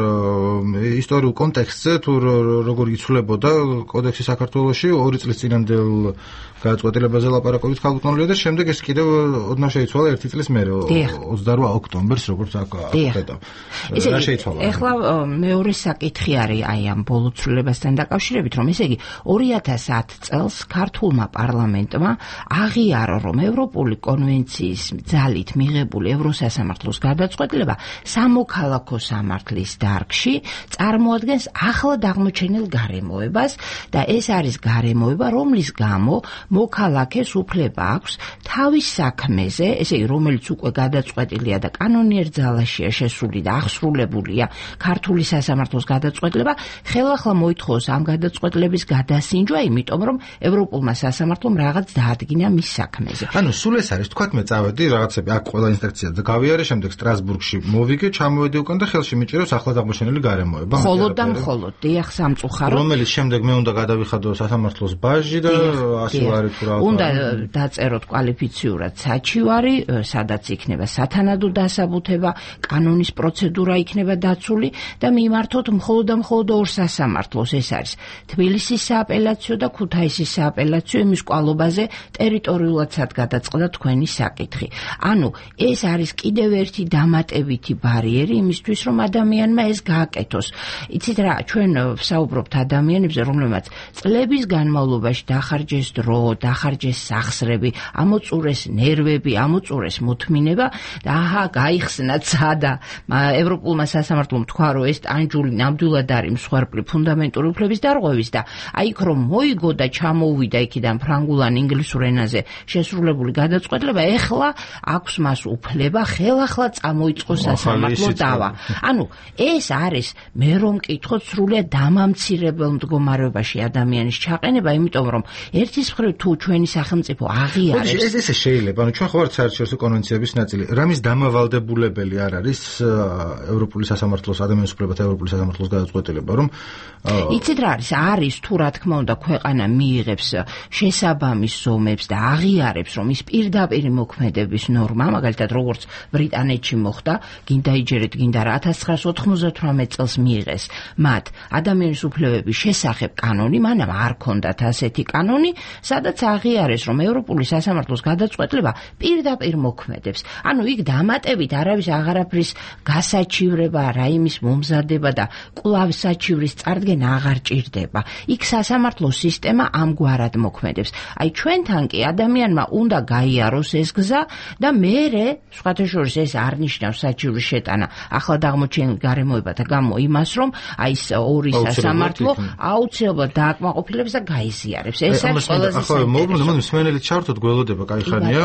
ისტორიულ კონტექსტზე თუ როგორ იცვლებოდა კოდექსი საქართველოში ორი წლის წინანდელ გადაწყვეტილებაზე ლაპარაკობთ ხალხმოვლია და შემდეგ ეს კიდევ ოდნავ შეიცვალა ერთი წლის მერე ოცდაორვა ოქტომბერს როგორც აკეთდა. რა შეიცვალა? ეხლა მეორე საკითხი არის აი ამ ბოლო ცვლილებასთან დაკავშირებით, რომ ესე იგი ორი ათას ათი წელს ქართულმა პარლამენტმა აღიარა, რომ ევროპული კონვენციის ძალით მიღებული ევროსასამართლოს გადაწყვეტილება სამოქალაქო სამართლის დარგში წარმოადგენს ახლად აღმოჩენილ გარემოებას და ეს არის გარემოება, რომლის გამო მოქალაქეს უფლება აქვს თავის საქმეზე, ესე იგი რომელიც უკვე გადაწყვეტილია და კანონიერ ძალაშია შესული და აღსრულებულია ქართული სასამართლოს გადაწყვეტილება, ხელახლა მოითხოვოს ამ გადაწყვეტილების გადასინჯვა, იმიტომ რომ ევროპულმა სასამართლომ რაღაც დაადგინა მის საქმეზე. ანუ სულ ეს არის, თქვათ მე წავედი რაღაცები, აქ ყველა ინსტრუქციად გავიარე, შემდეგ სტრასბურგში მოვიგე, ჩამოვედი უკან და ხელში მიჭიროს ახლად აღმოჩენილი გარემოება. მხოლოდ და მხოლოდ, დიახ, სამწუხაროდ. რომელიც შემდეგ მე უნდა გადავიხადო სასამართლოს ბაჟი და ასე ვარი თუ რა. უნდა დაწეროთ კვალიფიციურად საჩივარი, სადაც იქნება სათანადო დასაბუთება, კანონის პროცედურა იქნება დაცული და მიმართოთ მხოლოდ და მხოლოდ ორ სასამართლოს, ეს არის თბილისის სააპელაციო და ქუთაისის სააპელაციო, იმის კვალობაზე ტერიტორიულადაც გადაწყდა თქვენი საკითხი. ანუ ეს არის კიდევ ერთი დამატებითი ბარიერი იმისთვის, რომ ადამიანმა ეს გააკეთოს. იცით რა, ჩვენ ვსაუბრობთ ადამიანებზე, რომლებმაც წლების განმავლობაში დახარჯეს დრო, დახარჯეს სახსრები, ამოწურეს ნერვები, ამოწურეს მოთმინება და აჰა, გაიხსნა ცადა ევროპულმა სასამართლომ თქვა, რომ ეს ტანჯული ნამდვილად არის მსხვერპლი ფუნდამენტური უფლების დარღვევის და აი იქ რომ მოიგო და ჩამოუვიდა იქიდან ფრანგულ ან ინგლისურ ენაზე შესრულებული გადაწყვეტილება, ეხლა აქვს მას უფლება ხელახლა წამოიწყოს სასამართლო დავა. ანუ ეს არის მე რომ მკითხოთ სრულიად დამამცირებელ მდგომარეობაში ადამიანის ჩაყენება, იმიტომ რომ ერთის მხრივ თუ ჩვენი სახელმწიფო აღიარებს ეს ესე შეიძლება, ანუ ჩვენ ხო ვართ საერთაშორისო კონვენციების ნაწილი, რამის დამავალდებულებელი არ არის ევროპული სასამართლოს ადამიანის უფლებათა ევროპული სასამართლოს გადაწყვეტილება, რომ იცით რა არის, არის თუ რა თქმა უნდა ქვეყანა მიიღებს შესაბამის ზომებს და აღიარებს, რომ ის პირდაპირ მოქმედების ნორმა, მაგალითად როგორც ბრიტანეთში მოხდა, გინდა იჯერეთ, გინდა რა ათას ცხრაას ოთხმოცდათვრამეტ წელს მიიღეს მათ ადამიანის უფლებების შესახებ კანონი, მანამ არ ქონდათ ასეთი კანონი, სადაც აღიარეს, რომ ევროპული სასამართლოს გადაწყვეტილება პირდაპირ მოქმედებს. ანუ იქ დამატებით არავის აღარაფრის გასაჩივრება, რაიმის მომზადება და კვლავ საჩივრის წარდგენა აღარ ჭირდება. იქ სასამართლო სისტემა ამგვარად მოქმედებს. აი ჩვენთან კი ადამიანმა უნდა გაიაროს ეს გზა და მერე სხვათა შორის ეს არ ნიშნავს საჩივრის შეტანა ახლად აღმოჩენილ გარემოებათა გამო იმას, რომ აი ეს ორი სასამართლო აუცილებლად დააკმაყოფილებს და გაიზიარებს. ეს არის ყველაზე ახლა მოგმოდა მოდი მსმენელით ჩავთოთ გველოდება, კაი ხანია.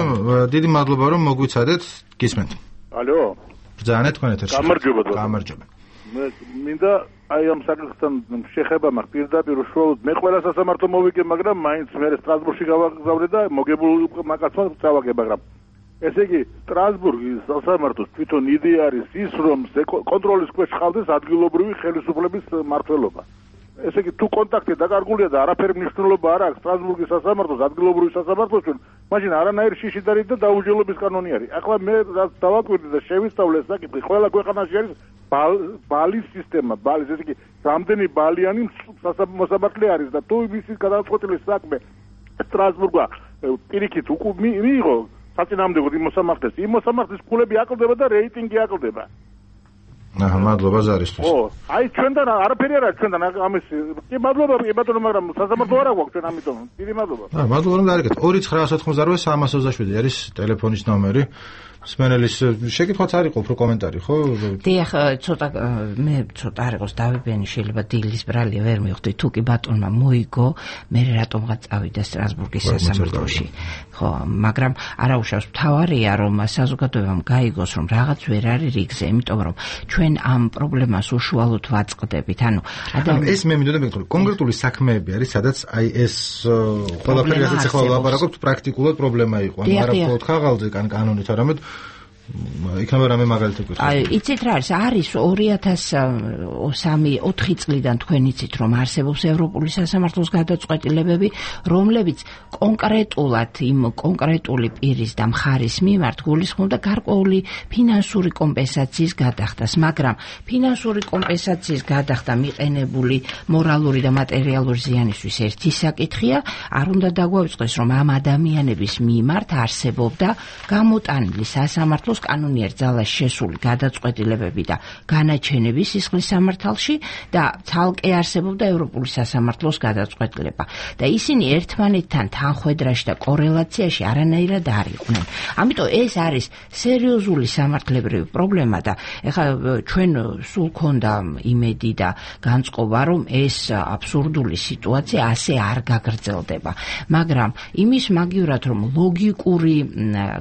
დიდი მადლობა რომ მოგვიცადეთ. გისმენთ. ალო. ბრძანეთ თქვენ ეთერში. გამარჯობა. გამარჯობა. მე მინდა აი ამ საკითხთან შეხება მაქვს პირდაპირ უშუალოდ მე ყველა სასამართლო მოვიგე, მაგრამ მაინც მე სტრასბურგში გავაგზავნე და მოგებულ მაკაცმა წავაგე, მაგრამ ესე იგი სტრასბურგის სასამართლოს თვითონ იდეა არის ის, რომ კონტროლის ქვეშ ხავდეს ადგილობრივი ხელისუფლების მმართველობა. ესე იგი თუ კონტაქტი დაკარგულია და არაფერი მნიშვნელობა არ აქვს სტრასბურგის სასამართლოს ადგილობრივი სასამართლოსთან, მაშინ არანაირი შიშიდარი და დაუჯელობის კანონი არის. ახლა მე რაც დავაკვირდი და შევისწავლე საკითხი, ყველა ქვეყანაში არის ბალის სისტემა, ბალის, ესე იგი რამდენი ბალიანი მოსამართლე არის და თუ მისი გადაწყვეტილის საქმე სტრასბურგა პირიქით მიიღო საწინააღმდეგოდ იმ მოსამართლეს, იმ მოსამართლის ფულები აკლდება და რეიტინგი აკლდება. აჰა, მადლობა ზარისთვის. ო, აი ჩვენთან არაფერი არა ჩვენთან ამის. კი მადლობა ბატონო, მაგრამ სასამართლო არ აქვს ჩვენ ამიტომ. დიდი მადლობა. აა, მადლობა რომ დაარეკეთ. ორი ცხრა ოთხმოცდაოთხი სამას ოცდაშვიდი არის ტელეფონის ნომერი. სმენელის შეკითხვაც არ იყო უფრო კომენტარი, ხო? დიახ, ცოტა მე ცოტა არ იყოს დავებიანი, შეიძლება დილის ბრალი ვერ მივხვდი, თუ კი ბატონმა მოიგო, მე რატომღაც წავიდა სტრასბურგის სასამართლოში. ხო, მაგრამ არაუშავს მთავარია, რომ საზოგადოებამ გაიგოს, რომ რაღაც ვერ არის რიგზე, იმიტომ რომ ჩვენ ამ პრობლემას უშუალოდ ვაწყდებით. ანუ ადამიანი ეს მე მინდოდა მეკითხო, კონკრეტული საქმეები არის, სადაც აი ეს ყველაფერი რასაც ახლა ვლაპარაკობთ, პრაქტიკულად პრობლემა იყო. ანუ არა მხოლოდ ხაღალზე, კან კანონით, არამედ იქნება რამე მაგალითი გქონდა. აი, იცით რა არის? არის ორი ათას სამი ოთხი წლიდან თქვენ იცით, რომ არსებობს ევროპული სასამართლოს გადაწყვეტილებები, რომლებიც კონკრეტულად იმ კონკრეტული პირის და მხარის მიმართ გულისხმობდა გარკვეული ფინანსური კომპენსაციის გადახდას, მაგრამ ფინანსური კომპენსაციის გადახდა მიყენებული მორალური და მატერიალური ზიანისთვის ერთი საკითხია, არ უნდა დაგვაუწყდეს, რომ ამ ადამიანების მიმართ არსებობდა გამოტანილი სასამართლოს კანონიერ ძალას შესული გადაწყვეტილებები და განაჩენები სისხლის სამართალში და ცალკე არსებობდა ევროპული სასამართლოს გადაწყვეტილება და ისინი ერთმანეთთან თანხვედრაში და კორელაციაში არანაირად არ იყვნენ. ამიტომ ეს არის სერიოზული სამართლებრივი პრობლემა და ეხლა ჩვენ სულ ქონდა იმედი და განწყობა, რომ ეს აბსურდული სიტუაცია ასე არ გაგრძელდება. მაგრამ იმის მაგივრად, რომ ლოგიკური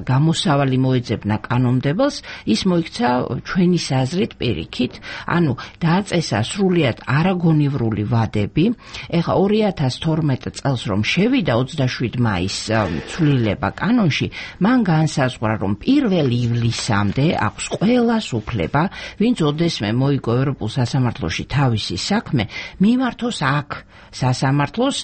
გამოსავალი მოეძებნა კანონმდებელს, ის მოიქცა ჩვენი საზრით პირიქით, ანუ დააწესა სრულიად არაგონივრული ვადები. ეხლა ორი ათას თორმეტ წელს რომ შევიდა ოცდაშვიდი მაისს ცვლილება კანონში, მან განსაზღვრა, რომ პირველ ივლისამდე აქვს ყველას უფლება, ვინც ოდესმე მოიგო ევროპულ სასამართლოში თავისი საქმე, მიმართოს აქ სასამართლოს,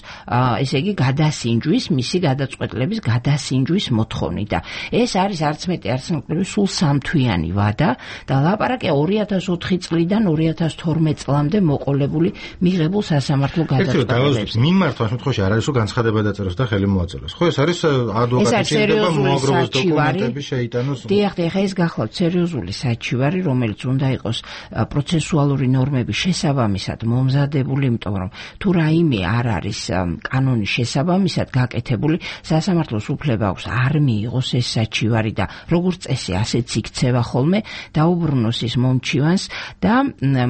ესე იგი გადასინჯვის, მისი გადაწყვეტილების გადასინჯვის მოთხოვნით და ეს არის არც მეტი არც ნაკლები სულ სამთვიანი ვადა და ლაპარაკია ორი ათას ოთხი წლიდან ორი ათას თორმეტ წლამდე მოყოლებული მიღებულ სასამართლო გადაწყვეტილებებს. მიმართვას შემთხვევაში არ არის რომ განცხადება დაწეროს და ხელი მოაწეროს. ხო, ეს არის ადვოკატის შეიძლება მოაგროვოს დოკუმენტები შეიტანოს. დიახ, ეხა ეს გახლავთ სერიოზული საჩივარი, რომელიც უნდა იყოს პროცესუალური ნორმების შესაბამისად მომზადებული, იმიტომ რომ თუ რაიმე არ არის კანონის შესაბამისად გაკეთებული, სასამართლოს უფლება აქვს არ მიიღოს ეს საჩივარი და როგორც წესი ასეც იქცევა ხოლმე, დაუბრუნოს ის მომჩივანს და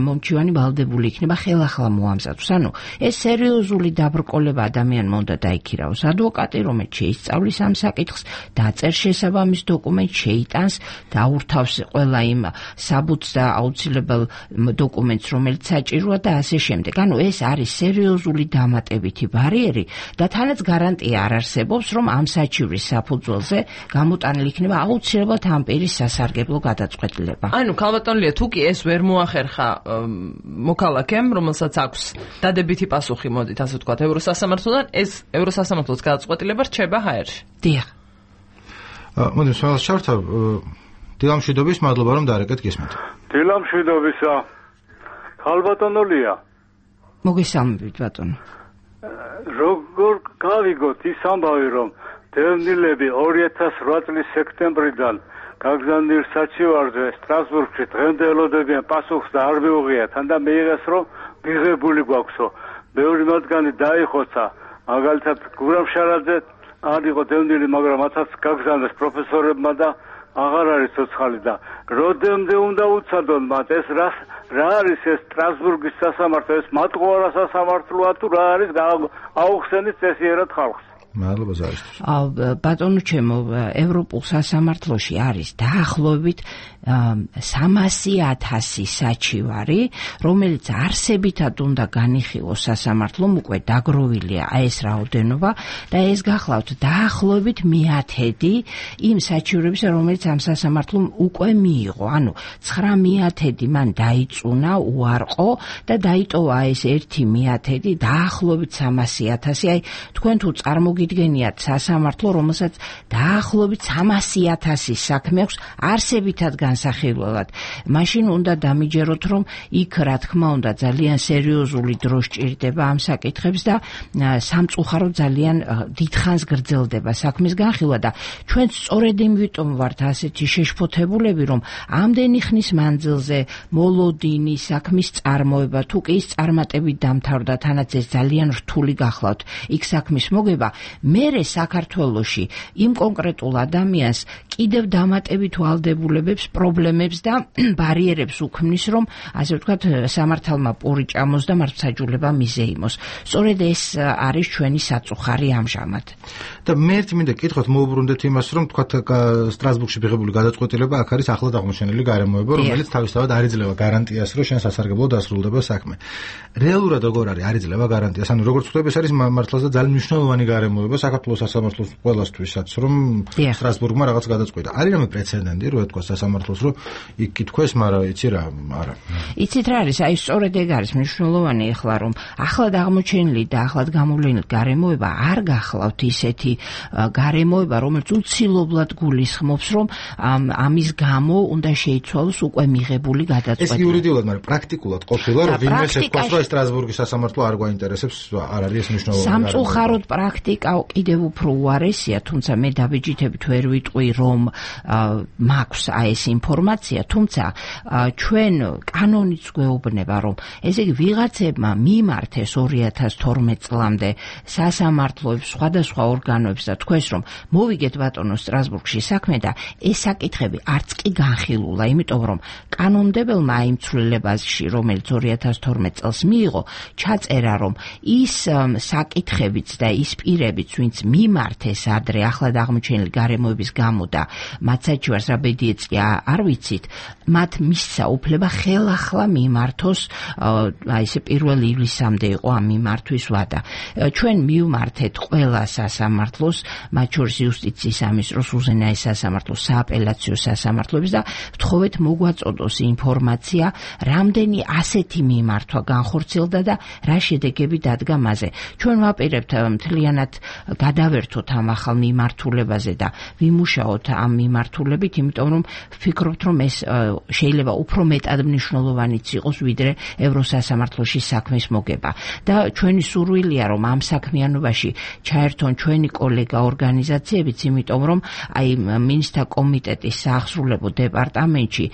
მომჩივანი ვალდებული იქნება ხელახლა მოამზადოს. ანუ ეს სერიოზული დაბრკოლება ადამიანმა უნდა დაიქირავოს. ადვოკატი, რომელიც შეისწავლის ამ საკითხს, დაწერს შესაბამის დოკუმენტს, შეიტანს, დაურთავს ყველა იმ საბუთს და აუცილებელ დოკუმენტს, რომელიც საჭიროა და ასე შემდეგ. ანუ ეს არის სერიოზული დამატებითი ბარიერი და თანაც გარანტია არ არსებობს, რომ ამ საჩივრის საფუძველზე გამოტანილი იქნება აუცილებლად ამ პირის სასარგებლო გადაწყვეტილება. ანუ ქალბატონლია, თუ კი ეს ვერ მოახერხა მოქალაქემ, რომელსაც აქვს დადებითი პასუხი, მოდით ასე ვთქვათ, ევროსასამართლოდან, ეს ევროსასამართლოს გადაწყვეტილება რჩება ჰაერში. დიახ. მოდი სულ შევთავ. დილამშვიდობის, მადლობა რომ დაარეკეთ გისმენთ. დილამშვიდობისა. ქალბატონლია. მოგესალმებით ბატონო. როგორ გავიგოთ ის ამბავი, რომ დევნილები ორი ათას ოთხ წლის სექტემბრიდან გაგზავნილ საჩივარზე სტრასბურგში დღემდე ელოდებიან პასუხს და არ მიუღიათ და მიიღეს, რომ მიღებული გვაქვსო. მეორე მათგანი დაიხოცა, მაგალითად გურამშარაძე არ იყო დევნილი, მაგრამ მათაც გაგზავნეს პროფესორებმა და აღარ არის ცოცხალი და როდემდე უნდა უცადონ მათ ეს რა რა არის ეს სტრასბურგის სასამართლო, ეს მატყუარა სასამართლოა თუ რა არის, აუხსენით წესიერად ხალხს. მადლობა ზარისთვის. ბატონო ჩემო, ევროპულ სასამართლოში არის დაახლოებით სამასი ათასი საჩივარი, რომელიც არსებითად უნდა განიხილოს სასამართლომ, უკვე დაგროვილია ეს რაოდენობა და ეს გახლავთ დაახლოებით მეათედი იმ საჩივრების, რომელიც ამ სასამართლომ უკვე მიიღო. ანუ ცხრა მეათედი მან დაიწუნა უარყო და დაიტოვა ეს ერთი მეათედი დაახლოებით სამასი ათასი. აი თქვენ თუ წარმოგიდგენთ მოგიდგენიათ სასამართლო, რომელსაც დაახლოებით სამასი ათასის საქმე აქვს არსებითად განსახილველად. მაშინ უნდა დამიჯეროთ, რომ იქ რა თქმა უნდა ძალიან სერიოზული დრო სჭირდება ამ საკითხებს და სამწუხაროდ ძალიან დიდხანს გრძელდება საქმის განხილვა და ჩვენ სწორედ იმიტომ ვართ ასეთი შეშფოთებულები, რომ ამდენი ხნის მანძილზე მოლოდინი საქმის წარმოება თუ კი ის წარმატებით დამთავრდა, თანაც ეს ძალიან რთული გახლავთ იქ საქმის მოგება, მერე საქართველოში იმ კონკრეტულ ადამიანს კიდევ დამატებით ვალდებულებებს, პრობლემებს და ბარიერებს უქმნის, რომ ასე ვთქვათ, სამართალმა პური ჭამოს და მართლმსაჯულება მიზეიმოს. სწორედ ეს არის ჩვენი საწუხარი ამჟამად. და მე ერთი მინდა კითხოთ მოუბრუნდეთ იმას, რომ თქვათ სტრასბურგში მიღებული გადაწყვეტილება აქ არის ახლად აღმოჩენილი გარემოება, რომელიც თავისთავად არ იძლევა გარანტიას, რომ შენ სასარგებლო დასრულდება საქმე. რეალურად როგორ არის არ იძლევა გარანტიას? ანუ როგორც ვთქვი, ეს არის მართლაც ძალიან მნიშვნელოვანი გარემოება საქართველოს სასამართლოს ყველასთვისაც, რომ სტრასბურგმა რაღაც გადაწყვეტა. არის რამე პრეცედენტი, რო ეთქვა სასამართლოს, რომ იქ კითხვეს, მაგრამ იცი რა, არა. იცით რა არის? აი სწორედ ეგ არის მნიშვნელოვანი ახლა, რომ ახლად აღმოჩენილი და ახლად გამოვლენილი გარემოება არ გახლავთ ისეთი გარემოება, რომელიც უცილობლად გულისხმობს, რომ ამის გამო უნდა შეიცვალოს უკვე მიღებული გადაწყვეტილება. ეს იურიდიულად, მაგრამ პრაქტიკულად ყოფილა, რომ ვინმე ეთქვას, რომ სტრასბურგის სასამართლო არ გვაინტერესებს, არ არის ეს მნიშვნელოვანი. სამწუხაროდ პრაქტიკა კიდევ უფრო უარესია, თუმცა მე დაბეჭდებით ვერ ვიტყვი, რომ მაქვს აი ეს ინფორმაცია, თუმცა ჩვენ კანონიც გვეუბნება, რომ ესე იგი ვიღაცებმა მიმართეს ორი ათას თორმეტ წლამდე სასამართლოებს, სხვადასხვა ორგანოებს და თქვეს, რომ მოვიგეთ ბატონო სტრასბურგში საქმე და ეს საკითხები არც კი განხილულა, იმიტომ რომ კანონმდებელმა იმ ცვლილებაში, რომელიც ორი ათას თორმეტ წელს მიიღო, ჩაწერა, რომ ის საკითხებიც და ის პირებიც, ვინც მიმართეს ადრე ახლად აღმოჩენილი გარემოების გამო და მათ საჩივარს რა ბედიეც კი არ ვიცით, მათ მისცა უფლება ხელახლა მიმართოს, აი ესე პირველ ივლისამდე იყო ამ მიმართვის ვადა. ჩვენ მივმართეთ ყველა სასამართლოს, მათ შორის იუსტიციის სამინისტროს, უზენაეს სასამართლოს, სააპელაციო სასამართლოებს და ვთხოვეთ მოგვაწოდოს ინფორმაცია, რამდენი ასეთი მიმართვა განხორციელდა და რა შედეგები დადგა მასზე. ჩვენ ვაპირებთ მთლიანად გადავერთოთ ამ ახალ მიმართულებაზე და ვიმუშაოთ ამ მიმართულებით, იმიტომ რომ ვფიქრობთ, რომ ეს შეიძლება უფრო მეტად მნიშვნელოვანიც იყოს, ვიდრე ევროსასამართლოში საქმის მოგება. და ჩვენი სურვილია, რომ ამ საქმიანობაში ჩაერთონ ჩვენი კოლეგა ორგანიზაციებიც, იმიტომ რომ აი მინისტრთა კომიტეტის საახსრულებო დეპარტამენტში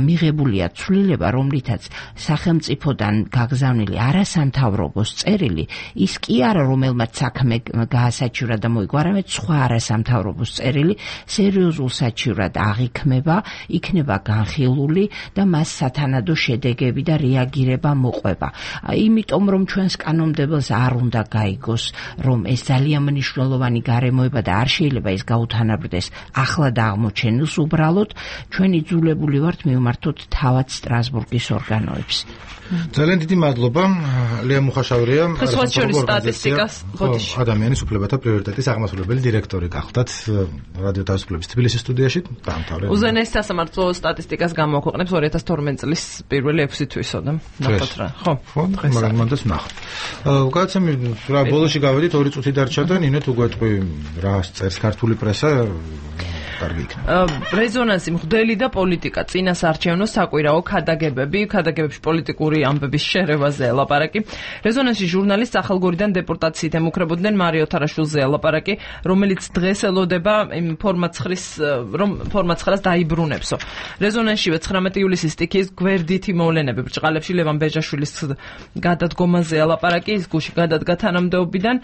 მიღებულია ცვლილება, რომლითაც სახელმწიფოდან გაგზავნილი არასამთავრობოს წერილი, ის კი არა, რომელმაც საქმე გაასაჩივრა და მოიგო, არამედ სხვა არასამთავრობოს წერილი სერიოზულ საჩივრად აღიქმება, იქნება განხილული და მას სათანადო შედეგები და რეაგირება მოყვება. იმიტომ რომ ჩვენს კანონმდებელს არ უნდა გაიგოს, რომ ეს ძალიან მნიშვნელოვანი გარემოება და არ შეიძლება ეს გაუთანაბრდეს ახლად აღმოჩენილს, უბრალოდ ჩვენ იძულებული ვართ მივმართოთ თავად სტრასბურგის ორგანოებს. ძალიან დიდი მადლობა. ლია მუხაშავრია, სტატისტიკას ბოდიში. ადამიანის უფლებათა პრიორიტეტის აღმასრულებელი დირექტორი გახლდათ რადიო თავისუფლების თბილისის სტუდიაში. დაამთავრე. უზენაეს სასამართლო სტატისტიკას გამოაქვეყნებს ორი ათას თორმეტ წლის პირველი ექვსი თვისოდა. ნახოთ რა. ხო, ხო, მაგრამ მანდაც ნახოთ. უკაცემი რა ბოლოში გავედით ორი წუთი დარჩა და ნინო თუ გვეტყვი რა წერს ქართული პრესა კარგი იქნება. რეზონანსი მღვდელი და პოლიტიკა, წინასარჩევნო საკვირაო ქადაგებები, ქადაგებებში პოლიტიკური ამბების შერევაზე ელაპარაკი. რეზონანსი ჟურნალის ახალგორიდან დეპორტაციით ემუქრებოდნენ მარიო თარაშვილზე ელაპარაკი, რომელიც დღეს ელოდება იმ ფორმაცხვრის, რომ ფორმაცხრას დაიბრუნებსო. რეზონანსშივე ცხრამეტი ივლისის სტიქიის გვერდითი მოვლენები ბრჭყალებში ლევან ბეჟაშვილის გადადგომაზე ელაპარაკი, ის გუში გადადგა თანამდებობიდან.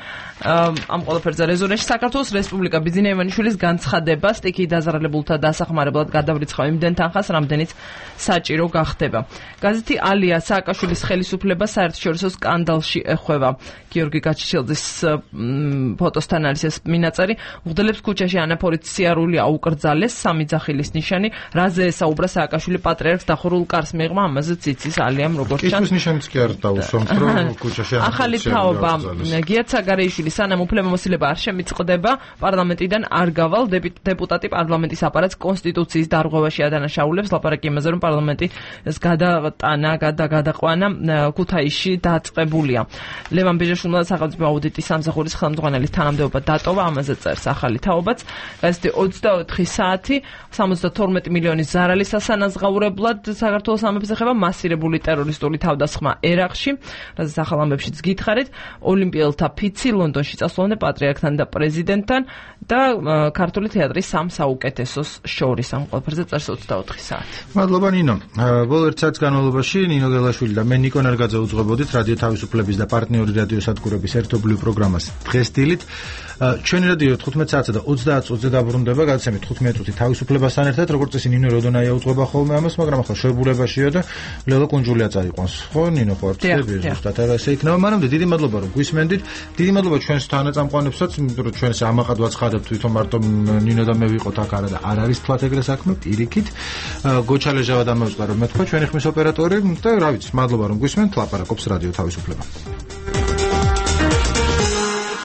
ამ ყველაფერზე რეზონანსში საქართველოს რესპუბლიკა ბიძინა ივანიშვილის განცხადება სტიქი დაზარალებულთა დასახმარებლად გადავრიცხავ იმდენ თანხას, რამდენიც საჭირო გახდება. გაზეთი ალია სააკაშვილის ხელისუფლება საერთაშორისო სკანდალში ეხვევა. გიორგი გაჩიჩელძის ფოტოსთან არის ეს მინაწერი. მღვდლებს ქუჩაში ანაფორით სიარული აუკრძალეს, სამი ძახილის ნიშანი, რაზე ესაუბრა სააკაშვილი პატრიარქს დახურულ კარს მიიღმა, ამაზეც იცის ალიამ როგორც ჩანს. ის ნიშანიც კი არ დაუსვამს, რომ ქუჩაში ანაფორით ახალი თაობა გიათ საგარეიშვილი სანამ უფლებამოსილება არ შემიწყდება, პარლამენტიდან არ გავალ დეპუტატი პარლამენტის აპარატს კონსტიტუციის დარღვევაში ადანაშაულებს. ლაპარაკი იმაზე, რომ პარლამენტი ეს გადატანა, გადაგაყვანა ქუთაისში დაწყებულია. ლევან ბეჟაშვილმა სახელმწიფო აუდიტის სამსახურის ხელმძღვანელის თანამდებობა დატოვა, ამაზე წერს ახალი თაობაც. გაზეთი ოცდაოთხი საათი სამოცდათორმეტი მილიონის ზარალის ასანაზღაურებლად საქართველოს ამებს ეხება მასირებული ტერორისტული თავდასხმა ერაყში, რაზეც ახალ ამბებშიც გითხარით. ოლიმპიელთა ფიცი ლონდონში წასვლამდე პატრიარქთან და პრეზიდენტთან და ქართული თეატრის სამ საუკეთესოს შორის ამ ყველაფერზე წერს ოცდაოთხი საათი. მადლობა ნინო. ბოლო ერთ საათის განმავლობაში ნინო გელაშვილი და მე ნიკო ნერგაძე უძღვებოდით რადიო თავისუფლების და პარტნიორი რადიო სადგურების ერთობლივ პროგრამას დღეს დილით. ჩვენი რადიო თხუთმეტ საათსა და ოცდაათ წუთზე დაბრუნდება, გადაცემით თხუთმეტ წუთი თავისუფლებასთან ერთად, როგორც წესი ნინო როდონაია უძღვება ხოლმე ამას, მაგრამ ახლა შოებულებაშია და ლელო კუნჯულია წაიყვანს. ხო, ნინო ხო არ ცდები ზუსტად არა ესე იქნება. მანამდე დიდი მადლობა რომ გვისმენდით. დიდი მადლობა ჩვენს თანაწამყვანებსაც, იმიტომ რომ ჩვენს ამაყად ვაცხადებთ თვითონ მარტო ნინო და მე ვიყოთ აქ არა და არ არის თქვათ ეგრე საქმე პირიქით. გოჩალეჟავა დამევსყარო მე თქვა ჩვენი ხმის ოპერატორი და რა ვიცი, მადლობა რომ გვისმენთ, ლაპარაკობს რადიო თავისუფლება.